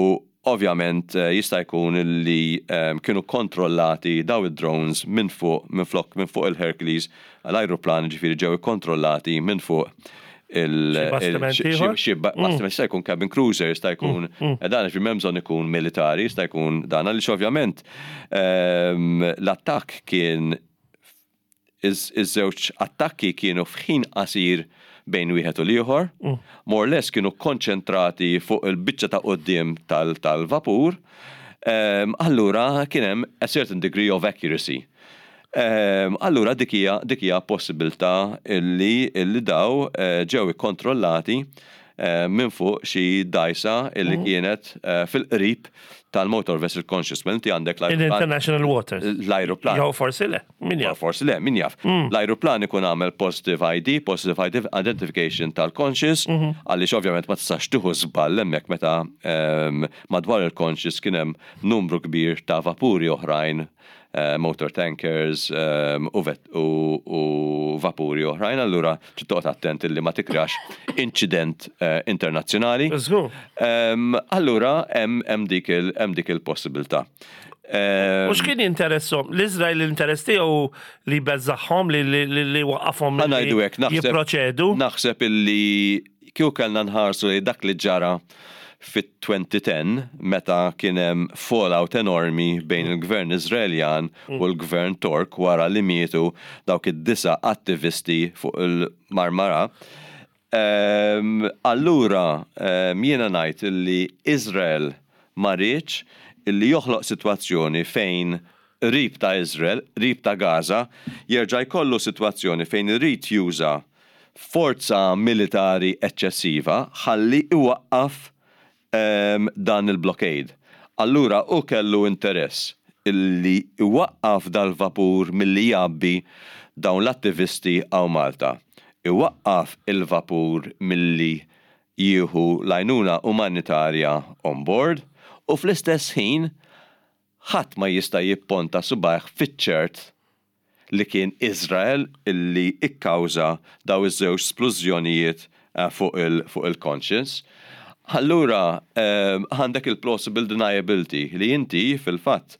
Speaker 2: ovvjament eh, jista' jkun li um, kienu kontrollati daw id-drones minn fuq minn flok minn fuq il-Hercules, l-ajruplan, ġifieri ġew ikkontrollati minn fuq il xi bastiment, jista' jkun cabin cruiser, jista' jkun mm, mm. dan, ġifieri m'hemm bżonn ikun militari, jista' jkun dan, għaliex ovvjament ehm, l-attakk kien, iż-żewġ attakki kienu f'ħin qasir bejn wieħed u l-ieħor, mm. more or less kienu konċentrati fuq il-biċċa ta' quddiem tal-vapur, um, allura kien hemm a certain degree of accuracy. Um, allura dik hija dik hija possibilità illi illi daw uh, ġew ikkontrollati uh, minn fuq xi dgħajsa illi mm. kienet uh, fil-qrib tal-motor vessel Conscious. Mela inti għandek
Speaker 1: l-ajruplan. International waters.
Speaker 2: L-ajruplan.
Speaker 1: Jew forsi le, min jaf.
Speaker 2: Forsi le, min jaf. Mm. L-ajruplan ikun għamel positive I D, positive identification tal-Conscious, mhm. għaliex ovvjament ma tistax tieħu żball hemmhekk meta um, madwar il-Conscious kien hemm numru kbir ta' vapuri oħrajn, uh, motor tankers um, u, u, u vapuri oħrajn, allura toqgħod attent illi ma tikrax incident uh, internazzjonali. Um, allura hemm dik il-possibilità.
Speaker 1: U x'kien jinteressom? L-Izrael, l-interess tiegħu li beżżagħhom, li li waqqafhom
Speaker 2: jipproċedu? Naħseb illi kieku kellna nħarsu li dak li ġara fit-elfejn u għaxra meta kien hemm fallout enormi bejn il-gvern Izraeljan u l-gvern Tork wara li mietu dawk id-disa attivisti fuq il-Marmara. Um, allura, um, jiena ngħid illi Izrael ma riedx illi joħloq sitwazzjoni fejn qrib ta' Izrael, qrib ta' Gaza, jerġa' jkollu sitwazzjoni fejn irid juża forza militari eċċessiva ħalli iwaqqaf um, dan il-blockade. Allura u kellu interess illi iwaqqaf dal-vapur milli jgħabbi dawn l-attivisti hawn Malta. Iwaqqaf il-vapur milli jieħu l-għajnuna umanitarja on board u fl-istess ħin ħadd ma jista' jipponta subgħajh fiċ-ċert li kien Izrael illi ikkawża daw iż-żewġ splużjonijiet eh, fuq il-Conscious. Allura, ehm, għandek il-plausible deniability li inti fil-fatt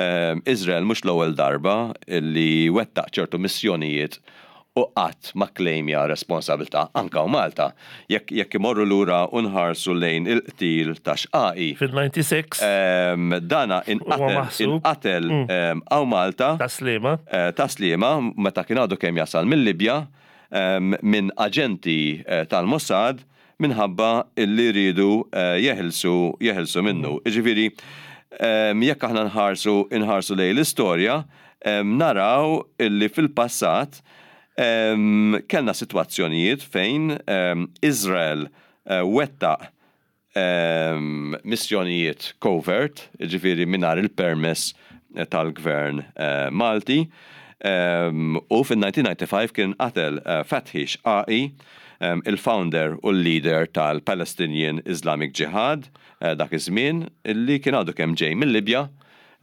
Speaker 2: ehm, Izrael mhux l-ewwel darba illi wettaq ċertu missjonijiet. u qatt ma klejmja responsabilità anka u Malta. Jekk jekk imorru lura u nħarsu lejn il-qtil ta' Xqaqi.
Speaker 1: Fil-disgħa u disgħin.
Speaker 2: Em, dana inqatel
Speaker 1: maħsub.
Speaker 2: inqatel em, hawn Malta
Speaker 1: Tas-Sliema.
Speaker 2: eh, Tas-Sliema meta kien għadu kemm jasal mill-Libja em, minn aġenti eh, tal-Mossad minħabba illi rridu eh, jeħilsu jeħilsu minnu. Ġifieri, em, jekk aħna nħarsu inħarsu lejn l-istorja, em, naraw illi fil-passat em, kellna sitwazzjonijiet fejn em, Izrael eh, wettaq em, missjonijiet covert, ġifieri mingħajr il-permess eh, tal-gvern eh, Malti. Um, u fil-elf disa' mija u disgħa u disgħin kien qatel uh, Fathi Shqaqi, um, il-founder u l-leader tal-Palestinian Islamic Jihad uh, dak iż-żmien illi kien għadu kemm ġej mill-Libja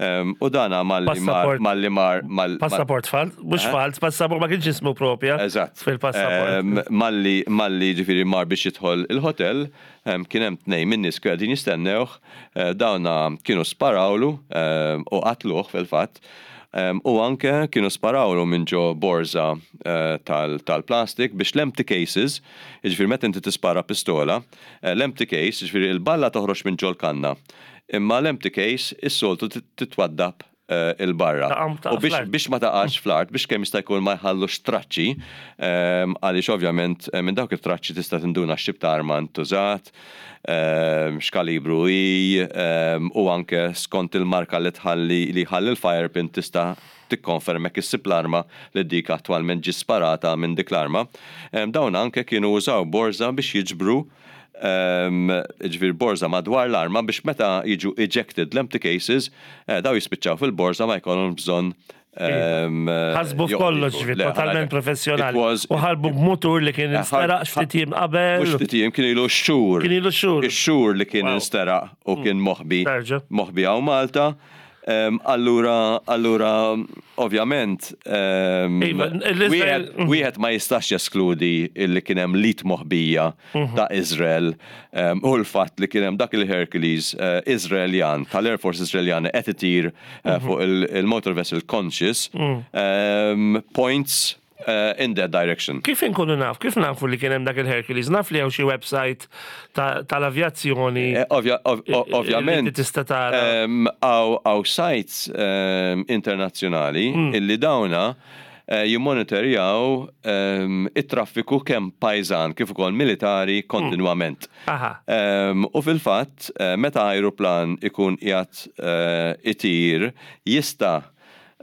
Speaker 2: um, u dana malli mar
Speaker 1: Passaport.
Speaker 2: malli mar mal,
Speaker 1: Passaport falt, mhux falt, passaport ma kienx ismu propja.
Speaker 2: Eżatt.
Speaker 1: Fil-passaport.
Speaker 2: Em, Malli, malli ġifieri mar biex jidħol il-hotel, em, kien hemm tnejn minn nies kienu qegħdin jistennewh, eh, dawna kienu sparawlu em, u qatluh fil-fatt. Em, U anke kienu sparawlu minn ġo borza eh, tal- tal-plastik biex l-empty cases, ġifieri meta inti tispara pistola, eh, l-empty case, ġifieri il-balla toħroġ minn ġol kanna. Imma l-empty case is-soltu tit- titwaddab eh, il-barra.
Speaker 1: Taqam taqa'
Speaker 2: U biex
Speaker 1: fl-art.
Speaker 2: biex ma taqax fl-art, biex kemm jista' jkun ma jħallux traċċi, ehm, għaliex ovvjament eh, minn dawk it-traċċi tista' tinduna x'tip ta' arma ntużat, ehm, x'kalibru hi, ehm, u anke skont il-marka li tħalli li jħalli l-fire pin tista' tikkonferma jekk issib l-arma li dik attwalment ġi sparata minn dik l-arma. Ehm, Dawn anke kienu użaw borza biex jiġbru um, ġifieri borza madwar l-arma biex meta jiġu ejected l-empty cases, eh, daw jispiċċaw fil-borza, ma jkollhom bżonn um,
Speaker 1: Ħasbu f'kollox, ġifieri,
Speaker 2: Le,
Speaker 1: totalment
Speaker 2: it
Speaker 1: professjonali.
Speaker 2: was-
Speaker 1: U ħarbu b'mutur li kien
Speaker 2: Eh,
Speaker 1: insteraq ftit jiem qabel.
Speaker 2: Mhux ftit jiem, kien ilu xhur.
Speaker 1: Kien ilu xhur.
Speaker 2: Ix-xhur li kien
Speaker 1: Wow.
Speaker 2: insteraq u kien moħbi.
Speaker 1: Tarġa.
Speaker 2: Moħbi hawn Malta. Um, allura, allura, ovvjament, um,
Speaker 1: Iva, l-Izrael-
Speaker 2: wieħed wieħed ma jistax jeskludi illi kien hemm lit moħbija
Speaker 1: Mhm.
Speaker 2: ta' Izrael um, u l-fatt li kien hemm dak il-Hercules uh, Izraeljan tal-Air Force Izraeljan qed itir uh,
Speaker 1: Mhm.
Speaker 2: fuq il- il-motor vessel Conscious
Speaker 1: Mm.
Speaker 2: um, points uh, in that direction.
Speaker 1: Kif inkunu naf? Kif nafu li kien hemm dak il-Hercules? Naf li hawn xi website ta- tal-avjazzjoni.
Speaker 2: Eh, ovvja- ov-
Speaker 1: li
Speaker 2: Ovvjament,
Speaker 1: tista' tara.
Speaker 2: um, hawn hawn sites um, internazzjonali
Speaker 1: Mm.
Speaker 2: illi dawna eh, jimmonitorjaw um, it-traffiku kemm pajżan kif ukoll militari kontinwament.
Speaker 1: Aha.
Speaker 2: Um, u fil-fatt, eh, meta aeroplan ikun qiegħed eh, itir, jista'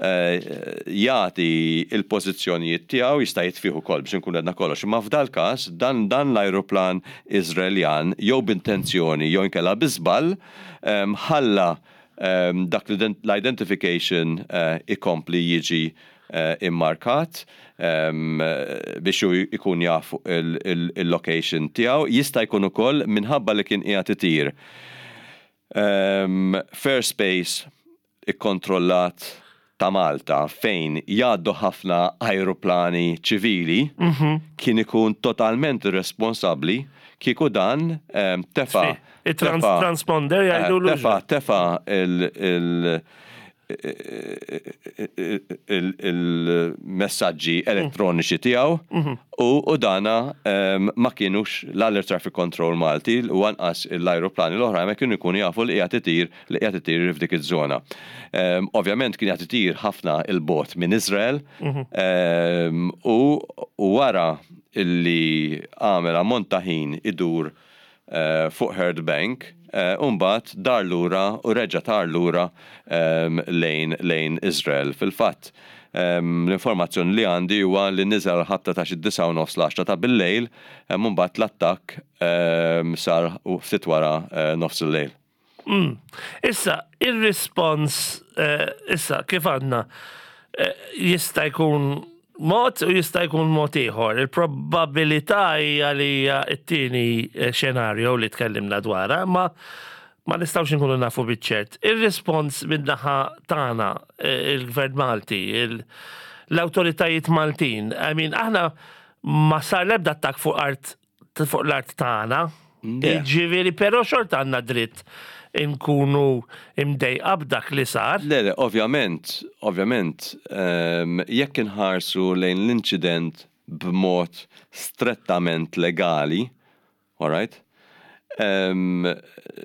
Speaker 2: eh, jagħti il-pożizzjonijiet tiegħu, jista' jitfih ukoll biex nkun għedna kollox. Imma f'dal każ dan dan l-aeroplan Iżraeljan jew b'intenzjoni jew inkella bi żball em, ħalla em, dak l-identification eh, ikompli jiġi eh, immarkat em, eh, biex hu ikun jaf il- il- il-location tiegħu. Jista' jkun ukoll minħabba li kien qiegħed itir Um, Airspace ikkontrollat ta' Malta fejn jgħaddu ħafna aeroplani ċivili, kien ikun totalment irresponsabbli kieku dan um, tefa.
Speaker 1: Il-trans-
Speaker 2: tefa-
Speaker 1: transponder
Speaker 2: eh,
Speaker 1: jgħidulu.
Speaker 2: Tefa, tefa il- il- il- il-messaġġi elettroniċi tiegħu u u dana em, ma kienux l-Air Traffic Control Malti u anqas l-aeroplani l-oħra ma kienu jkunu jafu li qiegħed itir li qiegħed itir f'dik iż-żona. Em, Ovvjament kien qiegħed itir ħafna il-bot minn Izrael em, u u wara illi għamel ammont ta' ħin idur eh, fuq Hurd Bank, eh, Umbat dar lura u reġa tar lura em, lejn, lejn Izrael. Fil-fatt, em, l-informazzjoni li għandi huwa li niżel ħabta ta' xi disgħa u nofs, l-għaxra ta' bil-lejl, em, mbagħad l-attakk em, sar u ftit wara eh, nofs il-lejl.
Speaker 1: Issa, il-respons, eh, issa, kif għandna, eh, jista' jkun mod u jista' jkun mod ieħor. Il-probabilità hija li hija t-tieni eh, xenarju li tkellimna dwarha, ma ma nistgħux nkunu nafu biċ-ċert. Il-respons min-naħa tagħna, eh, il-Gvern Malti, il- l-awtoritajiet Maltin, I mean, aħna ma sar l-ebda attakk fuq art fuq l-art tagħna.
Speaker 2: Le.
Speaker 1: Ġifieri, però xorta għandna dritt inkunu imdejqa b'dak li sar.
Speaker 2: Le, le, ovvjament, ovvjament, em, jekk inħarsu lejn l-inċident b'mod strettament legali, all right? Um,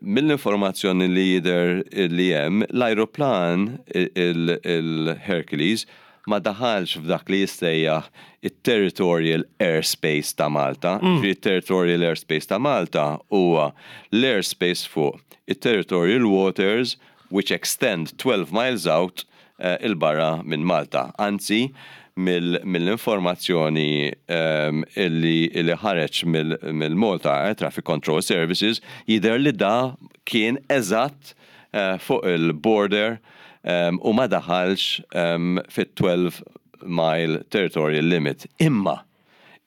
Speaker 2: Mill-informazzjoni li jidher li hemm, l-aeroplan il-Hercules ma daħalx f'dak li jissejjaħ il-territorial airspace ta' Malta. Mm. Il-territorial airspace ta' Malta huwa l-airspace fuq il-territorial waters which extend twelve miles out uh, il-barra minn Malta. Anzi, mill-informazzjoni um, illi, illi ħareġ mill-Malta Air Traffic Control Services jidher li da kien eżatt uh, fuq il-border um, u ma daħalx um, fit-twelve mile territorial limit. Imma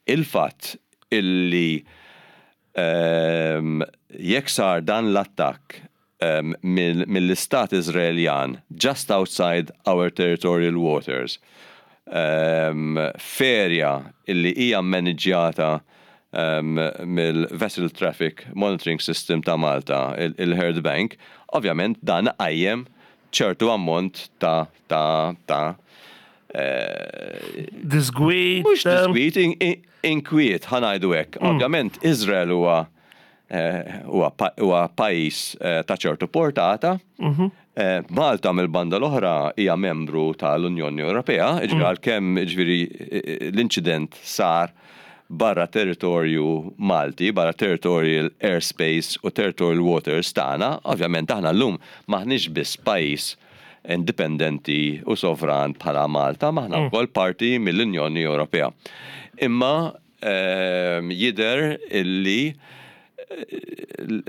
Speaker 2: il-fatt illi um, jekk sar dan l-attakk um, mill-istat Izraeljan just outside our territorial waters, um, f'area illi hija maniġjata um, mill-Vessel Traffic Monitoring System ta' Malta, il-Herd Bank, ovvjament dan qajjem ċertu ammont ta' ta' ta'
Speaker 1: Disgwit.
Speaker 2: Mhux disgwit, inkwiet, ħa ngħidu hekk. Mm. Ovvjament Izrael huwa huwa pajjiż ta' ċertu portata. Mhm. Malta mill-banda l-oħra hija membru tal-Unjoni Ewropea, ġifieri mm. għalkemm ġifieri l-inċident sar barra territorju Malti, barra territorial airspace u territorial waters tagħna, ovvjament aħna llum maħniex biss pajjiż indipendenti u sovran bħala Malta, m'aħna mm. wkoll parti mill-Unjoni Ewropea. Imma ehm, jidher illi eh,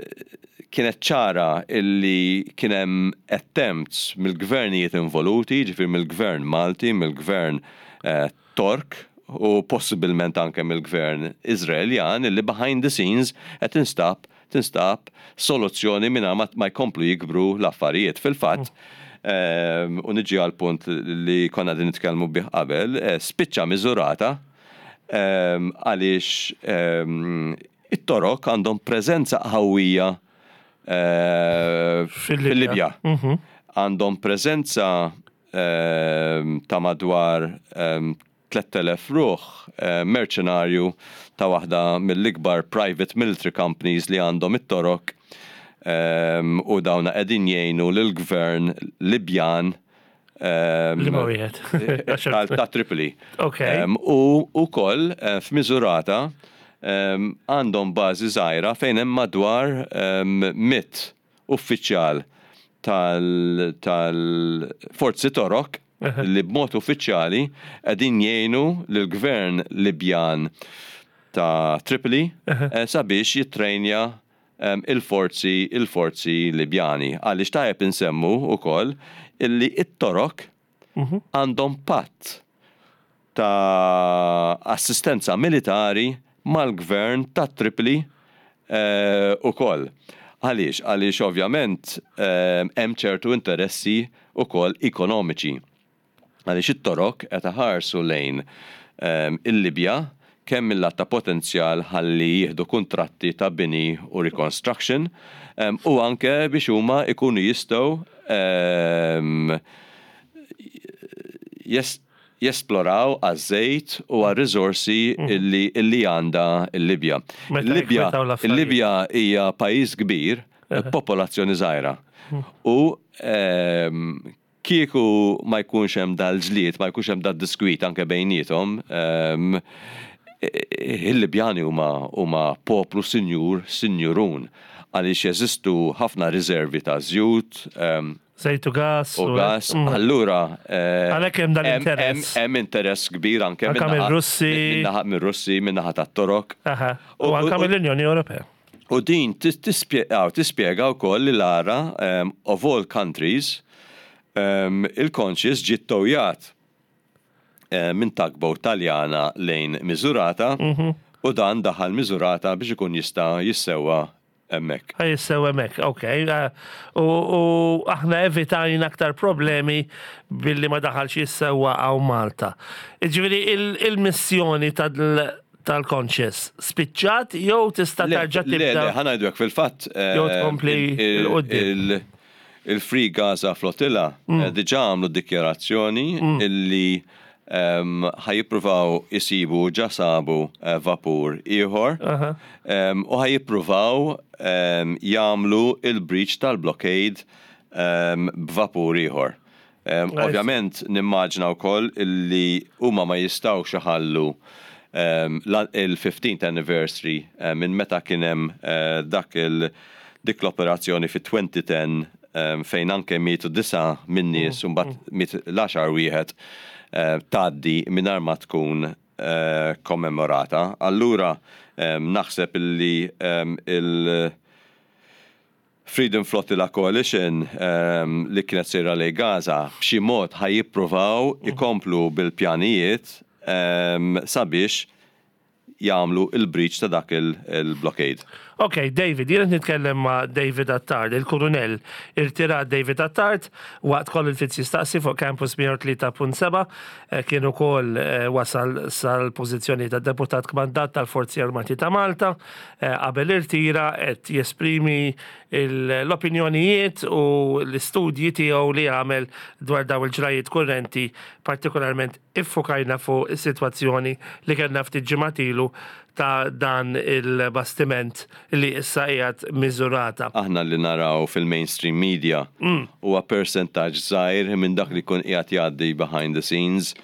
Speaker 2: kienet ċara illi kien hemm attempts mill-gvernijiet involuti, ġifieri mill-gvern Malti, mill-gvern eh, Tork u possibilment anke mill-gvern Izraeljan illi behind the scenes qed tinstab tinstab soluzzjoni minn ma, ma jkomplu jikbru l-affarijiet. Fil-fatt, mm. u niġi għal punt li konna din nitkellmu bih qabel, eh, spiċċa Miżurata għaliex it-Torok għandhom preżenza qawwija eh, fil-Libja. Mhm. Għandhom preżenza ta' madwar tlett elef ruħ eh, merċenarju ta' waħda mill-ikbar private military companies li għandhom it-Torok u dawna qegħdin jgħinu lill-gvern Libjan
Speaker 1: Li ma wieħed.
Speaker 2: ta' Tripoli. U ukoll eh, f'Miżurata għandhom bażi żgħira fejn hemm madwar mitt uffiċjal tal-forzi Torok li b'mod uffiċjali qegħdin jgħinu lill-gvern Libjan ta' Tripoli eh, sabiex jittrejnja il-forzi il-forzi Libjani. Għaliex tajjeb insemmu ukoll illi it-Torok mhm. għandhom patt ta' assistenza militari mal-gvern ta' Tripoli eh, ukoll. Għaliex? Għaliex ovvjament hemm ċertu interessi ukoll ekonomiċi. Għaliex it-Torok qed iħarsu lejn il-Libja kemm mill ta' potenzjal ħalli jieħdu kontratti ta' bini u reconstruction u anke biex huma ikunu jistgħu em, jes- jesploraw għaż-żejt u għar-riżorsi illi, illi għandha il-Libja.
Speaker 1: Meta
Speaker 2: Il-Libja
Speaker 1: jikkwetaw l-affarijiet.
Speaker 2: Il-Libja hija pajjiż kbir, popolazzjoni żgħira. U em, kieku ma jkunx hemm dal-ġlied, ma jkunx hemm dad-diskwit anke bejniethom, em, il-Libjani huma huma poplu sinjur, sinjurun, għaliex jeżistu ħafna riservi ta' żjut, em,
Speaker 1: Żejt u gas.
Speaker 2: U gas.
Speaker 1: Mm.
Speaker 2: Allura, eh,
Speaker 1: Għalhekk hemm dan
Speaker 2: hemm-
Speaker 1: l-interess.
Speaker 2: Hemm interess kbir anke
Speaker 1: Anke
Speaker 2: min-naħa-
Speaker 1: mir-Russi.
Speaker 2: min-naħa mir-Russi, min-naħa tat-Torok.
Speaker 1: Aha. U
Speaker 2: U-
Speaker 1: anka
Speaker 2: u-
Speaker 1: mill-Unjoni Ewropea.
Speaker 2: U din tis- tispjega tispjega wkoll li l-ara um, of all countries um, il-Conscious ġiet towjat eh, minn tugboat Taljana lejn Miżurata u dan daħal Miżurata biex ikun jista' jissewwa hemmhekk.
Speaker 1: Ħa jissewwa hemmhekk, ok. Eh, U u aħna evitajna aktar problemi billi ma daħalx jissewwa hawn Malta. Ġifieri il-missjoni tal- tal-Conscious spiċċat jew tista'
Speaker 2: Le,
Speaker 1: tarġa'
Speaker 2: le, le,
Speaker 1: tibda?
Speaker 2: ħa ngħidu hekk fil-fatt. eh,
Speaker 1: Jew tkompli
Speaker 2: il- il-
Speaker 1: 'l quddiem.
Speaker 2: il- Il-Free Gaza Flotilla
Speaker 1: Mm.
Speaker 2: eh, diġà għamlu dikjarazzjoni illi Ħa jippruvaw isibu, ġa sabu eh, vapur ieħor u ħa jippruvaw jagħmlu il-breach tal-blockade b'vapur ieħor. Ovvjament nimmaġna wkoll illi huma ma jistgħux iħallu il-fifteenth anniversary eh, minn meta kien hemm eh, dak il dik l-operazzjoni fi elfejn u għaxra fejn anke mietu disa minn nies u mbagħad miet l-għaxar wieħed eh, tgħaddi mingħajr ma tkun eh, kommemorata. Allura naħseb illi il- Freedom Flotilla Coalition um, li kienet sejra lejn Gaza b'xi mod ħa jippruvaw ikomplu bil-pjanijiet um, sabiex jagħmlu il-breach ta' dak il-blockade.
Speaker 1: Ok, David, jien nitkellem ma' David Attard, il-kurunell irtirat David Attard, waqt Colin Fitz Jistaqsi fuq Campus mija u tlieta punt seba, eh, kien ukoll eh, wasal sal-pożizzjoni ta' deputat kmandat tal-Forzi Armati ta' Malta, eh, qabel irtira qed jesprimi l-opinjonijiet u l-istudji tiegħu li għamel dwar daw il-ġrajiet kurrenti, partikolarment iffokajna fuq is-sitwazzjoni li kellna ftit ġimgħat ilu ta' dan il-bastiment li issa qiegħed Misurata.
Speaker 2: Aħna li naraw fil-mainstream media huwa percentaġġ żgħir minn dak li jkun qiegħed jgħaddi behind the scenes.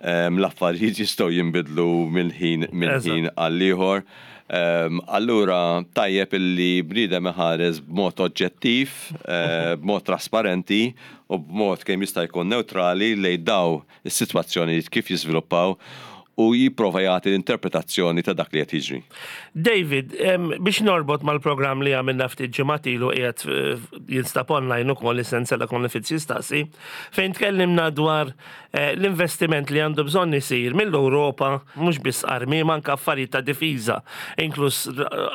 Speaker 2: Um, L-affarijiet jistgħu jinbidlu minn ħin minn ħin għall-ieħor. Um, allura tajjeb illi bniedem iħares b'mod oġġettiv, uh, b'mod trasparenti u b'mod kemm jista' jkun neutrali lejn daw is-sitwazzjonijiet kif jiżviluppaw u jipprova jagħti l-interpretazzjoni ta' dak li qed jiġri.
Speaker 1: David, biex norbot mal-programm li għamilna ftit ġimgħat ilu, qiegħed eh, jinstab online ukoll is-sensela Colin Fitz Jistaqsi, fejn tkellimna dwar eh, l-investiment li għandu bżonn isir mill-Ewropa, mhux biss armi, ma anke affarijiet ta' difiża, inkluż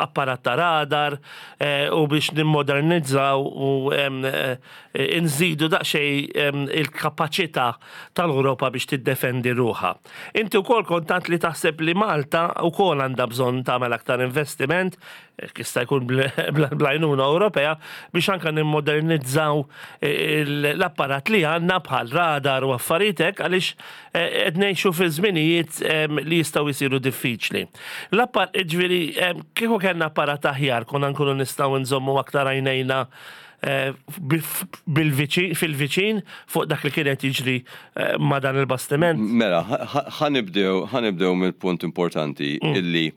Speaker 1: apparat ta' radar eh, u biex nimmodernizzaw u nżidu daqsxejn il-kapaċità tal-Ewropa biex tiddefendi ruħha. Inti wkoll kontant li taħseb li Malta wkoll għandha bżonn tagħmel aktar investiment, jista' jkun bl-għajnuna Ewropea, biex anka nimmodernizzaw l-apparat li għandna bħal radar u affarijiet hekk, għaliex qed ngħixu fi żminijiet li jistgħu jsiru diffiċli. L-appar ġifieri kieku kellna apparat aħjar konna nkunu nistgħu nżommu aktar għajnejna fil-viċin fuq dak li kienet jiġri ma' dan il-bastiment.
Speaker 2: Mela, ħa nibdew ħa nibdew mill-punt importanti mm. illi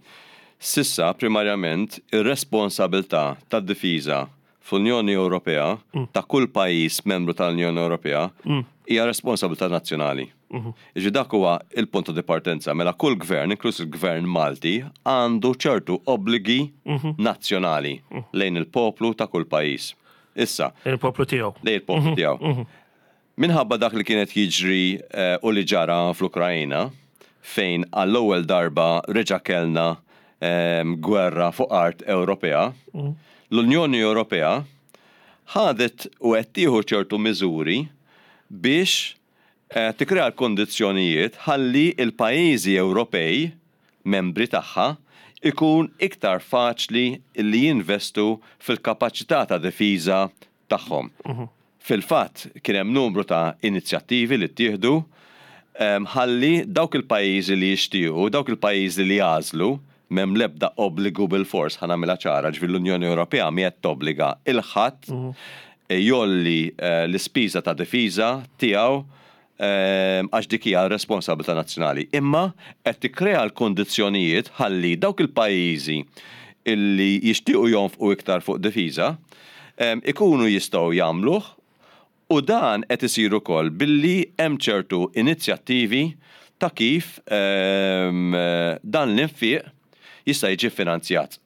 Speaker 2: s'issa primarjament ir-responsabilità tad-difiża fl-Unjoni Ewropea mm. ta' kull pajjiż membru tal-Unjoni Ewropea mm. hija responsabilità nazzjonali. Mhm. Iġi dak huwa il-punt ta' partenza. Mela kull gvern, inkluż il-gvern Malti, għandu ċertu obbligi mhm. nazzjonali mm. lejn il-poplu ta' kull pajjiż. Issa.
Speaker 1: Il-poplu tiegħu.
Speaker 2: Lejn il-poplu tiegħu. Minħabba dak li kienet jiġri eh, u li ġara fl-Ukrajina, fejn għall-ewwel darba reġa' kellna ehm, gwerra fuq art Ewropea, l-Unjoni Ewropea ħadet u qed tieħu ċertu miżuri biex eh, tikkrea l-kondizzjonijiet ħalli il-pajjiżi Ewropej membri tagħha ikun iktar faċli li jinvestu fil-kapaċità ta' difiża tagħhom. Fil-fatt kien hemm numru ta' inizjattivi li ttieħdu ħalli dawk il-pajjiżi li jixtiequ, dawk il-pajjiżi li jagħżlu, m'hemm l-ebda obbligu bil-fors, ħa nagħmilha ċara, ġifieri l-Unjoni Ewropea mi qed tobbliga 'l ħadd jgħolli eh, l-ispiża ta' difiża tiegħu għax dik hija responsabilità nazzjonali. Imma qed tikkrea l-kondizzjonijiet ħalli dawk il-pajjiżi illi jixtiequ jonfqu iktar fuq difiża ikunu jistgħu jagħmluh, u dan qed isir ukoll billi hemm ċertu inizjattivi ta' kif dan l-infiq jista' jiġi finanzjat.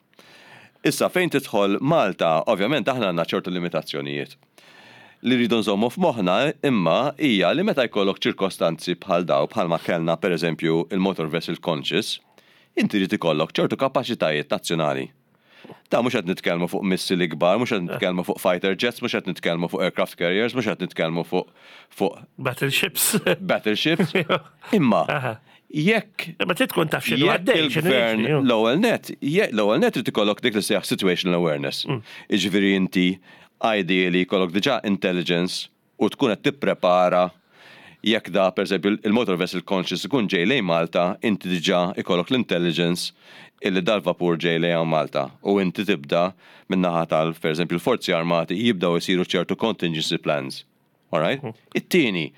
Speaker 2: Issa fejn tidħol Malta, ovvjament aħna għandna ċertu limitazzjonijiet. Li rridu nżommu f'moħħna imma hija li meta jkollok ċirkostanzi bħal daw, bħalma kellna pereżempju il-Motor Vessel Conscious, inti jrid ikollok ċertu kapaċitajiet nazzjonali. Ta' mhux qed nitkellmu fuq missili kbar, mhux qed nitkellmu fuq fighter jets, mhux qed nitkellmu fuq aircraft carriers, mhux qed nitkellmu fuq fuq
Speaker 1: battleships.
Speaker 2: Battleships. Imma jekk
Speaker 1: Ma trid tkun taf x'inhu
Speaker 2: jekk
Speaker 1: għaddej, x'inhu
Speaker 2: il-gvern
Speaker 1: jiġri.
Speaker 2: l-ewwel net, l-ewwel net trid ikollok dik li sejjaħ situational awareness.
Speaker 1: Mm.
Speaker 2: Jiġifieri inti ideally jkollok diġà intelligence u tkun qed tipprepara Jekk da, per eżempju, il-motor vessel Conscious ikun ġej lejn Malta, inti diġà ikollok l-intelligence illi dal-vapur ġej lejn Malta u inti tibda min-naħa tal, per eżempju, l-forzi armati jibdaw isiru ċertu contingency plans. Alright? It-tieni,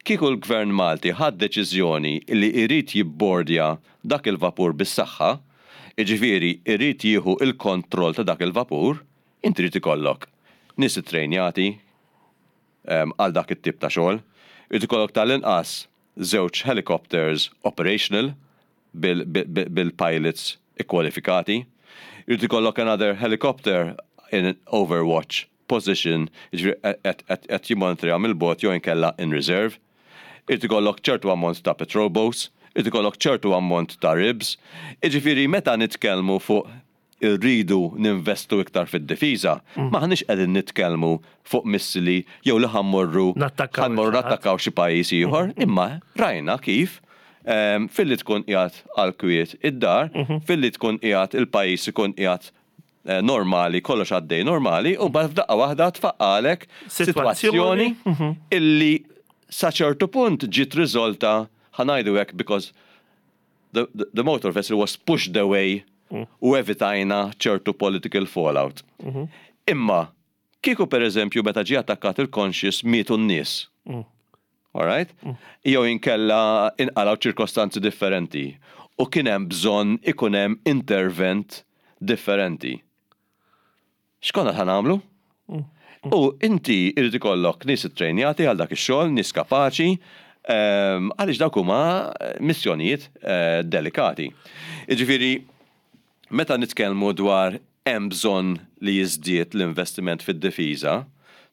Speaker 2: kieku l-gvern Malti ħad deċiżjoni li irid jibbordja dak il-vapur bis-saħħa, iġifieri irid jieħu il-kontroll ta' dak il-vapur, inti trid ikollok nies ittrejnjati em, għal dak it-tip ta' xogħol, irid ikollok tal-inqas żewġ helicopters operational bil- bil- bil-pilots ikkwalifikati, irid ikollok another helicopter in an overwatch position, jiġifieri qed qed jimmonitorja mill-bogħod jew inkella in reserve. Irid ikollok ċertu ammont ta' patrol boats, irid ikollok ċertu ammont ta' R I Bs. Jiġifieri meta nitkellmu fuq irridu ninvestu iktar fid-difiża, m'aħniex qegħdin nitkellmu fuq missili jew li ħa mmorru
Speaker 1: Nattakkaw
Speaker 2: ħa mmorru
Speaker 1: xi ħadd.
Speaker 2: nattakkaw xi pajjiż ieħor, imma rajna kif em, filli tkun qiegħed għal kwiet id-dar, filli tkun qiegħed il-pajjiż ikun qiegħed eh, normali, kollox għaddej normali, u mbagħad f'daqqa waħda tfaqqagħlek
Speaker 1: Sitwazzjoni.
Speaker 2: sitwazzjoni illi sa ċertu punt ġiet riżolta, ħa ngħidu hekk, because the, the, the motor vessel was pushed away u evitajna ċertu political fallout. Imma, kieku per eżempju meta ġie attakkat il-Conscious mietu n-nies. Alright? Jew inkella inqalaw ċirkostanzi differenti u kien hemm bżonn ikun hemm intervent differenti. X'konna ħa nagħmlu? U inti irid ikollok nies ittrejnjati għal dak ix-xogħol, nies kapaċi, ehm, għaliex dawk huma missjonijiet eh, delikati. Jiġifieri, meta nitkellmu dwar hemm bżonn li jiżdied l-investiment fid-difiża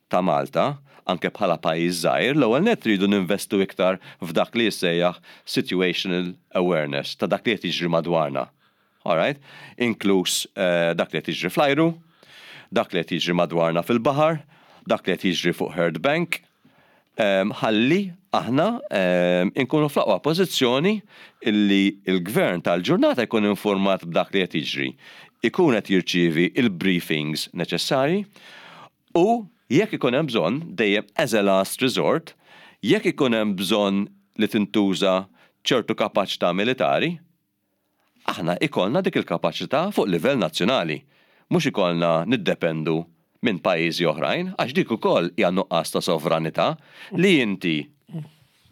Speaker 2: ta' Malta, anke bħala pajjiż żgħir, l-ewwel net tridu ninvestu iktar f'dak li jissejjaħ situational awareness ta' dak li qed jiġri madwarna. Alright? Inkluż eh, dak li qed jiġri fl-ajru, dak li qed jiġri madwarna fil-baħar, dak li qed jiġri fuq Hurd Bank, em, ħalli aħna em, inkunu fl-aqwa pożizzjoni illi il-gvern tal-ġurnata jkun informat b'dak li qed jiġri, ikun qed jirċievi il-briefings neċessarji u jekk ikun hemm bżonn, dejjem as a last resort, jekk ikun hemm bżonn li tintuża ċertu kapaċità militari, aħna ikollna dik il-kapaċità fuq livell nazzjonali. Mhux ikollna niddependu minn pajjiżi oħrajn, għax dik ukoll hija nuqqas ta' sovranità li inti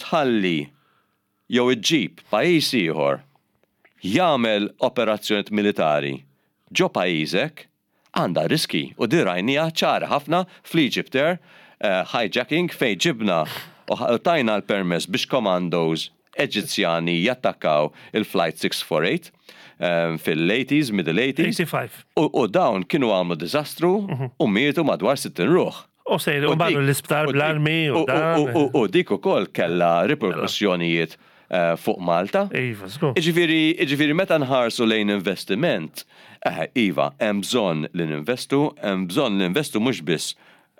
Speaker 2: tħalli jew iġġib pajjiż ieħor jagħmel operazzjonijiet militari ġo pajjiżek għandha riski u di rajnieha ċara ħafna fl-Egypt Air uh, hijacking, fejn ġibna u tajna l-permess biex commandos Eġizzjani jattakkaw il-Flight six forty-eight um, fil-eighties, middle eighties.
Speaker 1: eighty-five.
Speaker 2: U, u dawn kienu għamlu diżastru u mietu madwar sittin ruħ.
Speaker 1: U sejru
Speaker 2: U
Speaker 1: marru
Speaker 2: dik-
Speaker 1: l-isptar
Speaker 2: u dik-
Speaker 1: bl-armi u
Speaker 2: u-
Speaker 1: dan.
Speaker 2: u- u- U dik ukoll kella riperkussjonijiet eh, fuq Malta.
Speaker 1: Iva, żgur.
Speaker 2: Iġifieri, iġifieri meta nħarsu lejn investiment, eh, iva, hemm bżonn li ninvestu, hemm bżonn li ninvestu mhux biss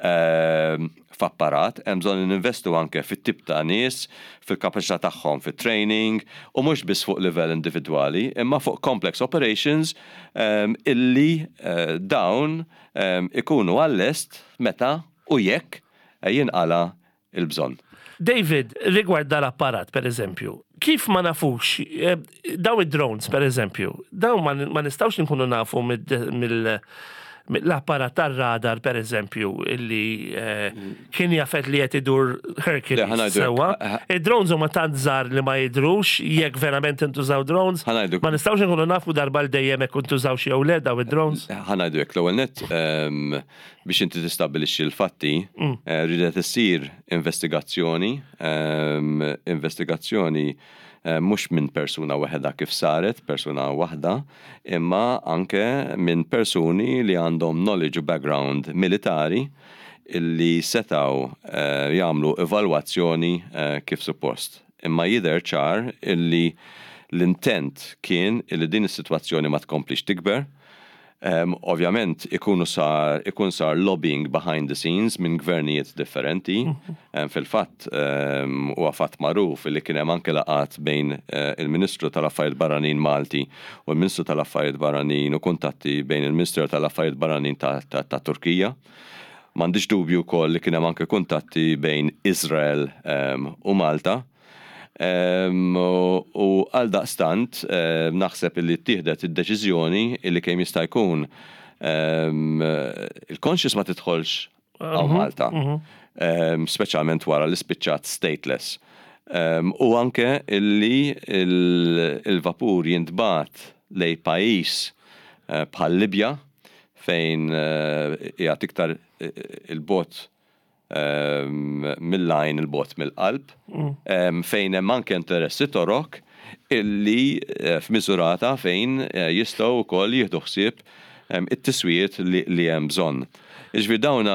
Speaker 2: ehm, f'apparat, hemm bżonn li ninvestu anke fit-tip ta' nies, fil-kapaċità tagħhom fit-training, u mhux biss fuq livell individwali, imma fuq complex operations ehm, illi eh, dawn ehm, ikunu għall-lest meta u jekk eh, jinqala il-bżonn.
Speaker 1: David, rigward dal-apparat, per eżempju, kif ma nafux, eh, daw id-drones, per eżempju, daw ma ma nistawx nkunu nafu mill mill-apparat tar-radar, per eżempju, illi eh, kien jafet li qed idur
Speaker 2: Le, ħa
Speaker 1: Hercules
Speaker 2: ngħidu-
Speaker 1: sewwa. Id-drones huma tant żgħar li ma jidrux, jekk verament intużaw drones.
Speaker 2: Ħa ngħidu-
Speaker 1: Ma nistawx nkunu nafu darba l dejjem jekk intużaw xi jew le daw id-drones.
Speaker 2: Ħa ngħidu hekk, l-ewwel net, ehm, biex inti tistabbilixxi l-fatti, eh, ridet issir investigazzjoni, ehm, investigazzjoni eh, mhux minn persuna waħda kif saret, persuna waħda, imma anke minn persuni li għandhom knowledge u background militari illi setaw eh, jagħmlu evalwazzjoni eh, kif suppost. Imma jidher ċar illi l-intent kien illi din is-sitwazzjoni ma tkomplix tikber. Um, ovvjament ikunu sar, ikun sar lobbying behind the scenes minn gvernijiet differenti. Um, Fil-fatt, um, huwa fatt magħruf li kien hemm anke laqat bejn uh, il-Ministru tal-Affarijiet Barranin Malti u l-Ministru tal-Affarijiet Barranin u kuntatti bejn il-Ministru tal-Affarijiet Barranin ta', ta, ta Turkija. M'għandix dubju wkoll li kien hemm anke kuntatti bejn Izrael um, u Malta. Um, u għal daqstant um, naħseb li ttieħdet id-deċiżjoni illi kemm jista' jkun um, il-Conscious ma tidħolx għal Malta, um, speċjalment wara li spiċċat stateless. Um, u anke illi il-vapur jintbagħat lejn pajjiż uh, bħal Libja, fejn uh, qiegħed iktar 'il bogħod um, mill-għajn, 'il bogħod mill-qalb, um, fejn hemm anke interessi Torok illi uh, f'Misurata fejn uh, jistgħu wkoll jieħdu ħsieb um, it-tiswijiet li, li hemm bżonn. Iġifieri dawna,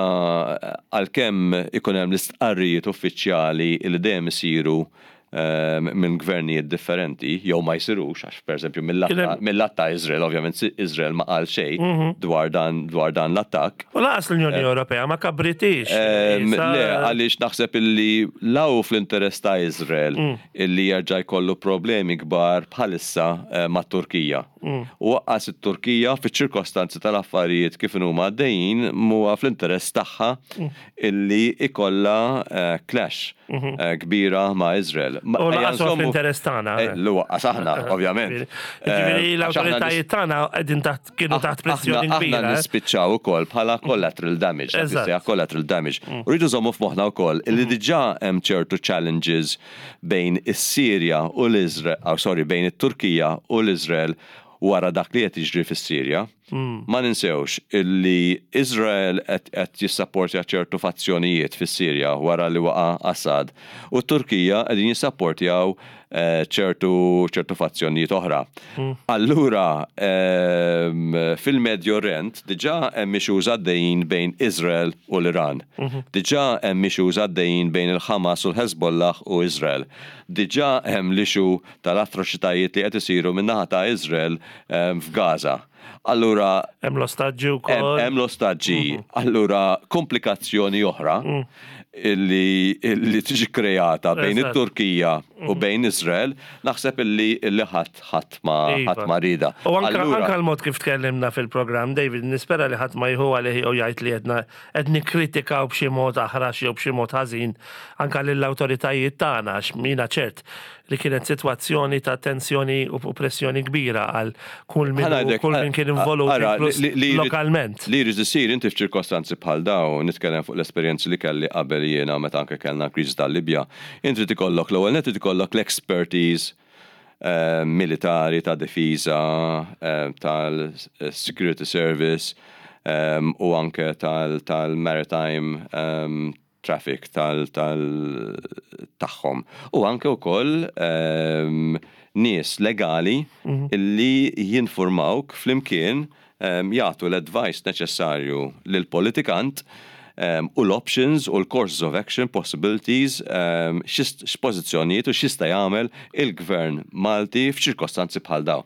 Speaker 2: għalkemm ikun hemm l-istqarrijiet uffiċjali li dejjem isiru um, minn gvernijiet differenti, jew ma jsirux, għax per eżempju mill-lat ta' Izrael, ovvjament Izrael ma qal xejn dwar dan dwar dan l-attakk.
Speaker 1: U lanqas l-Unjoni Ewropea ma kabritix.
Speaker 2: Le, għaliex naħseb illi law fl-interess ta' Izrael illi jerġa' jkollu problemi kbar bħalissa eh, ma' Turkija. U lanqas it-Turkija, fiċ-ċirkostanzi tal-affarijiet kif huma għaddejjin, mhuwa fl-interess tagħha illi ikolla eh, clash eh, kbira ma' Izrael.
Speaker 1: U lanqas fl-interess tagħna.
Speaker 2: Lanqas aħna, ovvjament.
Speaker 1: Ġifieri l-awtoritajiet tagħna qegħdin taħt kienu taħt pressjoni kbira.
Speaker 2: Aħna nispiċċaw ukoll bħala collateral damage, collateral damage. U rridu nżommu f'moħħna wkoll illi diġà hemm ċertu challenges bejn is-Sirja u l-Izrael, oh, sorry, bejn it-Turkija u l-Izrael wara dak li qed jiġri fis-Sirja. Ma ninsewx illi Izrael qed jissapportja ċertu fazzjonijiet fis-Sirja wara li waqa' Assad u t-Turkija qegħdin jissapportjaw ċertu ċertu fazzjonijiet oħra. Allura fil-Medju Orient diġà hemm issues għaddejjin bejn Izrael u l-Iran. Diġà hemm issues għaddejjin bejn il-Hamas u l-Hezbollah u Izrael. Diġà hemm l-issue tal-atroċitajiet li qed isiru min-naħa ta' Izrael f'Gaza. Allura
Speaker 1: hemm l-ostaġġi wkoll.
Speaker 2: Hemm l-ostaġġi. Allura komplikazzjoni oħra illi, illi tiġi kreata bejn it-Turkija u bejn Izrael, naħseb illi illi ħadd ħadd ma
Speaker 1: Iva.
Speaker 2: ħadd ma rida.
Speaker 1: U anka anka l-mod kif tkellimna fil-programm, David, nispera li ħadd ma jieħu għalih jew jgħid li qedna qed nikkritikaw b'xi mod aħrax jew b'xi mod ħażin anka lill-awtoritajiet tagħna, għax mina ċert li kienet sitwazzjoni ta' tensjoni u pressjoni kbira għal kull min kull min kien involut, inkluż lokalment.
Speaker 2: Li jrid isir inti f'ċirkostanzi bħal dawn, nitkellem fuq l-esperjenzi li kelli qabel jiena meta anke kellna kriżi tal-Libja, inti tikollok l-ewwel net ikollok l-expertise eh, militari ta' difiża, eh, tal-security service eh, u anke tal-maritime um, traffic tal tagħhom. U anke wkoll um, nies legali mm -hmm. illi jinformawk flimkien, um, jagħtu l-advice neċessarju lill-politikant um, u l-options u l-courses of action possibilities, um, x'pożizzjonijiet u x'jista' jagħmel il-gvern Malti f'ċirkostanzi bħal dawn.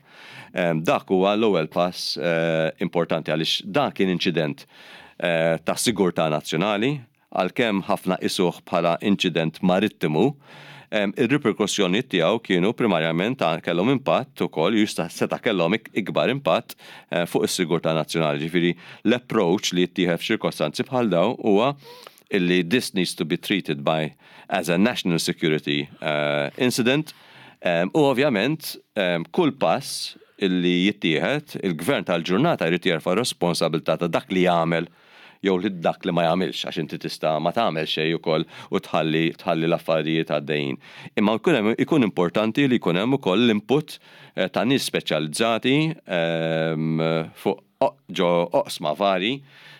Speaker 2: Um, dak huwa l-ewwel pass uh, importanti għaliex dak kien inċident uh, ta' sigurtà nazzjonali, għalkemm ħafna qisuh bħala inċident marittimu, il-riperkussjoni tiegħu kienu primarjament kellhom impatt ukoll, jista' seta' kellhom ikbar impatt eh, fuq is-sigurtà nazzjonali. Ġifieri l-approach li jittieħed f'ċirkostanzi bħal dawn huwa illi this needs to be treated by as a national security uh, incident um, u ovvjament um, kull pass illi jittieħed, il-gvern tal-ġurnata jrid jerfa' responsabilità ta' dak li jagħmel jew li dak li ma jagħmilx, għax inti tista' ma tagħmel xejn ukoll u tħalli tħalli l-affarijiet għaddejjin. Imma jkun ikun importanti li jkun hemm ukoll l-input eh, ta' nies speċjalizzati ehm, fuq ġo oqsma vari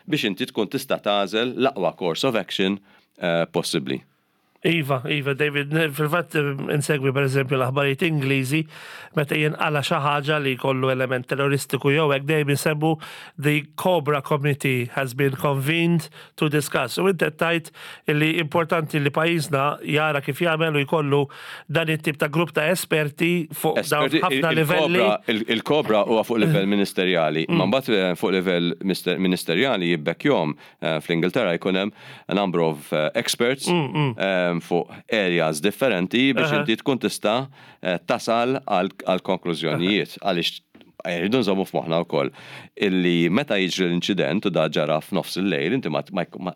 Speaker 2: biex inti tkun tista' tagħżel l-aqwa course of action eh, possibbli.
Speaker 1: Iva, Iva, David, fil-fatt insegwi per eżempju l-aħbarijiet Ingliżi, meta jinqala xi ħaġa li jkollu element terroristiku jew hekk, dejjem isemmu "the Cobra Committee has been convened to discuss". U inti tajt li importanti li pajjiżna jara kif jagħmel u jkollu dan it-tip ta' grupp ta' esperti fuq dawn ħafna livelli.
Speaker 2: Il-Cobra huwa fuq livell ministerjali, ma mbagħad eh, fuq livell ministerjali jibbekkjom eh, fl-Ingilterra jkun hemm a number of eh, experts mm, mm. Fuq areas differenti biex inti tkun tista' eh, tasal għal konklużjonijiet, għaliex Rridu nżommu f'moħħna wkoll illi meta jiġri l-inċident u da ġara f'nofs il-lejl, inti ma, ma, ma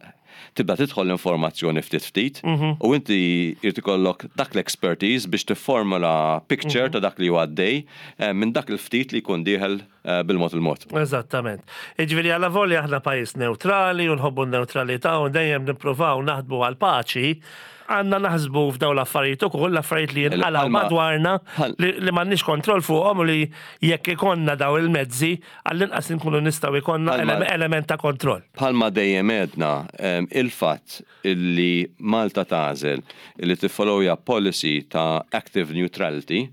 Speaker 2: tibda tidħol l-informazzjoni ftit ftit u inti jrid ikollok dak l-expertise biex tifformula picture ta' dak li huwa għaddej eh, minn dak il-ftit li jkun dieħel eh, bil-mod il-mod.
Speaker 1: Eżattament. Jiġifieri għala volja aħna pajjiż neutrali u nħobbu n-neutralità u dejjem nippruvaw naħdmu għal paċi, għandna naħsbu f'daw l-affarijiet ukoll, l-affarijiet li jinqalgħu
Speaker 2: Bħalma-
Speaker 1: madwarna
Speaker 2: bħal-
Speaker 1: li li m'għandniex kontroll fuqhom u li jekk ikollna daw il-mezzi, għall-inqas nkunu nistgħu ikollna
Speaker 2: Bħalma-
Speaker 1: ele- element ta' kontroll.
Speaker 2: Bħalma dejjem għedna, em, il-fatt illi Malta tagħżel illi tiffollowja policy ta' active neutrality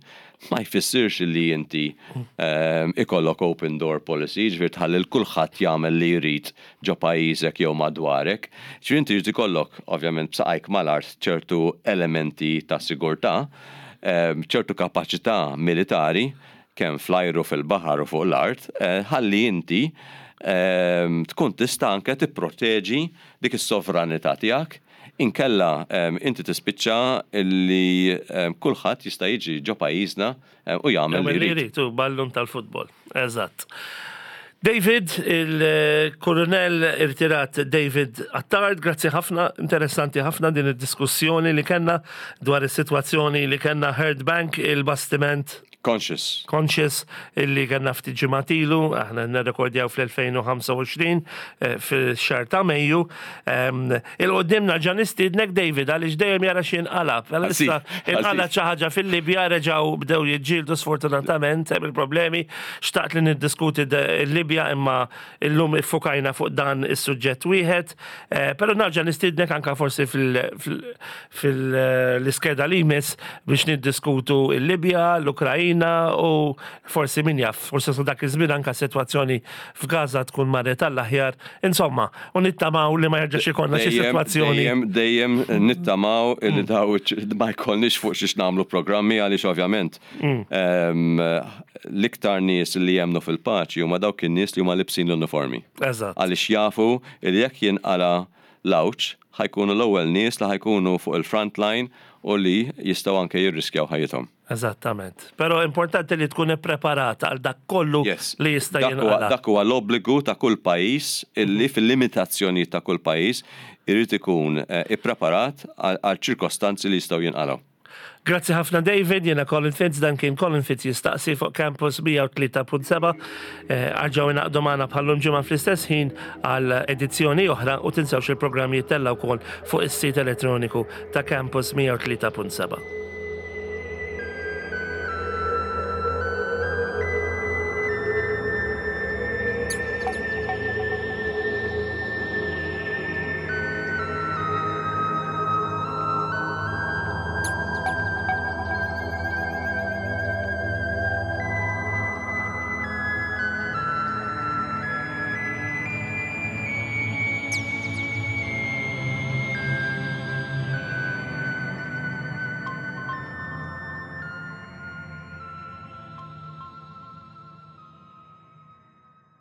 Speaker 2: ma jfissirx li inti em, ikollok open door policy, ġifieri tħalli l kulħadd jagħmel li jrid ġo pajjiżek jew madwarek. Ġifieri inti jrid ikollok ovvjament b'saqajk mal-art ċertu elementi ta' sigurtà, em, ċertu kapaċità militari kemm fl-ajru, fil-baħar u fuq l-art, eh, ħalli inti em, tkun tista' anke tipproteġi dik is-sovranità tiegħek. Inkella em, inti tispiċċa illi em, kulħadd jista' jiġi ġo pajjiżna em, u jagħmel li
Speaker 1: Jagħmel li
Speaker 2: jrid.
Speaker 1: jrid, u ballun tal-futbol. Eżatt. David, il-kolonel irtirat David Attard, grazzi ħafna, interessanti ħafna din id-diskussjoni li kellna dwar is-sitwazzjoni li kellna Hurd Bank, il-bastiment
Speaker 2: Conscious.
Speaker 1: Conscious illi kellna ftit ġimgħat ilu, aħna nirrekordjaw fl-elfejn u ħamsa u għoxrin eh, fil-xahar ta' Mejju. Em, 'Il quddiem nerġa' nistiednek, David, għaliex dejjem jara x'inqala'. Issa inqala' xi ħaġa fil-Libja, reġgħu bdew jiġġieldu sfortunatament hemm il-problemi. Xtaqt li niddiskuti il-Libja imma illum iffukajna fuq dan is-suġġett wieħed. Eh, Però nerġa' nistiednek anka forsi fil-iskeda li jmiss biex niddiskutu il-Libja, l-Ukrajina u forsi, min jaf, forsi sa dak iż-żmien anka sitwazzjoni f'Gaza tkun marret għall-aħjar. Insomma, u nittamaw li ma jerġax ikollna xi
Speaker 2: Dejjem,
Speaker 1: sitwazzjoni.
Speaker 2: Dejjem, dejjem nittamaw illi daw ma jkollniex fuq xiex nagħmlu programmi, għaliex ovvjament em, l-iktar nies li jemnu fil-paċi huma dawk in-nies li huma libsin l-uniformi.
Speaker 1: Eżatt.
Speaker 2: Għaliex jafu li jekk jinqala l-għawġ ħa jkunu l-ewwel nies li ħa jkunu fuq il-front line u li jistgħu anke jirriskjaw ħajjithom.
Speaker 1: Eżattament. Però importanti li tkun ippreparata għal dak kollu
Speaker 2: Yes.
Speaker 1: li jista'
Speaker 2: Dak huwa-
Speaker 1: jinqala.
Speaker 2: Dak huwa l-obbligu ta' kull pajjiż illi fil-limitazzjoni ta' kull pajjiż irid ikun eh, ippreparat għal għal ċirkostanzi li jistgħu jinqalgħu.
Speaker 1: Grazzi ħafna, David, jiena Colin Fitz, dan kien Colin Fitz Jistaqsi fuq Campus mija u tlieta punt seba'. Eh, Erġgħu ingħaqdu magħna bħal-lum ġimgħa fl-istess ħin għal edizzjoni oħra u tinsewx il-programm jittella' wkoll fuq is-sit elettroniku ta' Campus mija u tlieta punt seba'.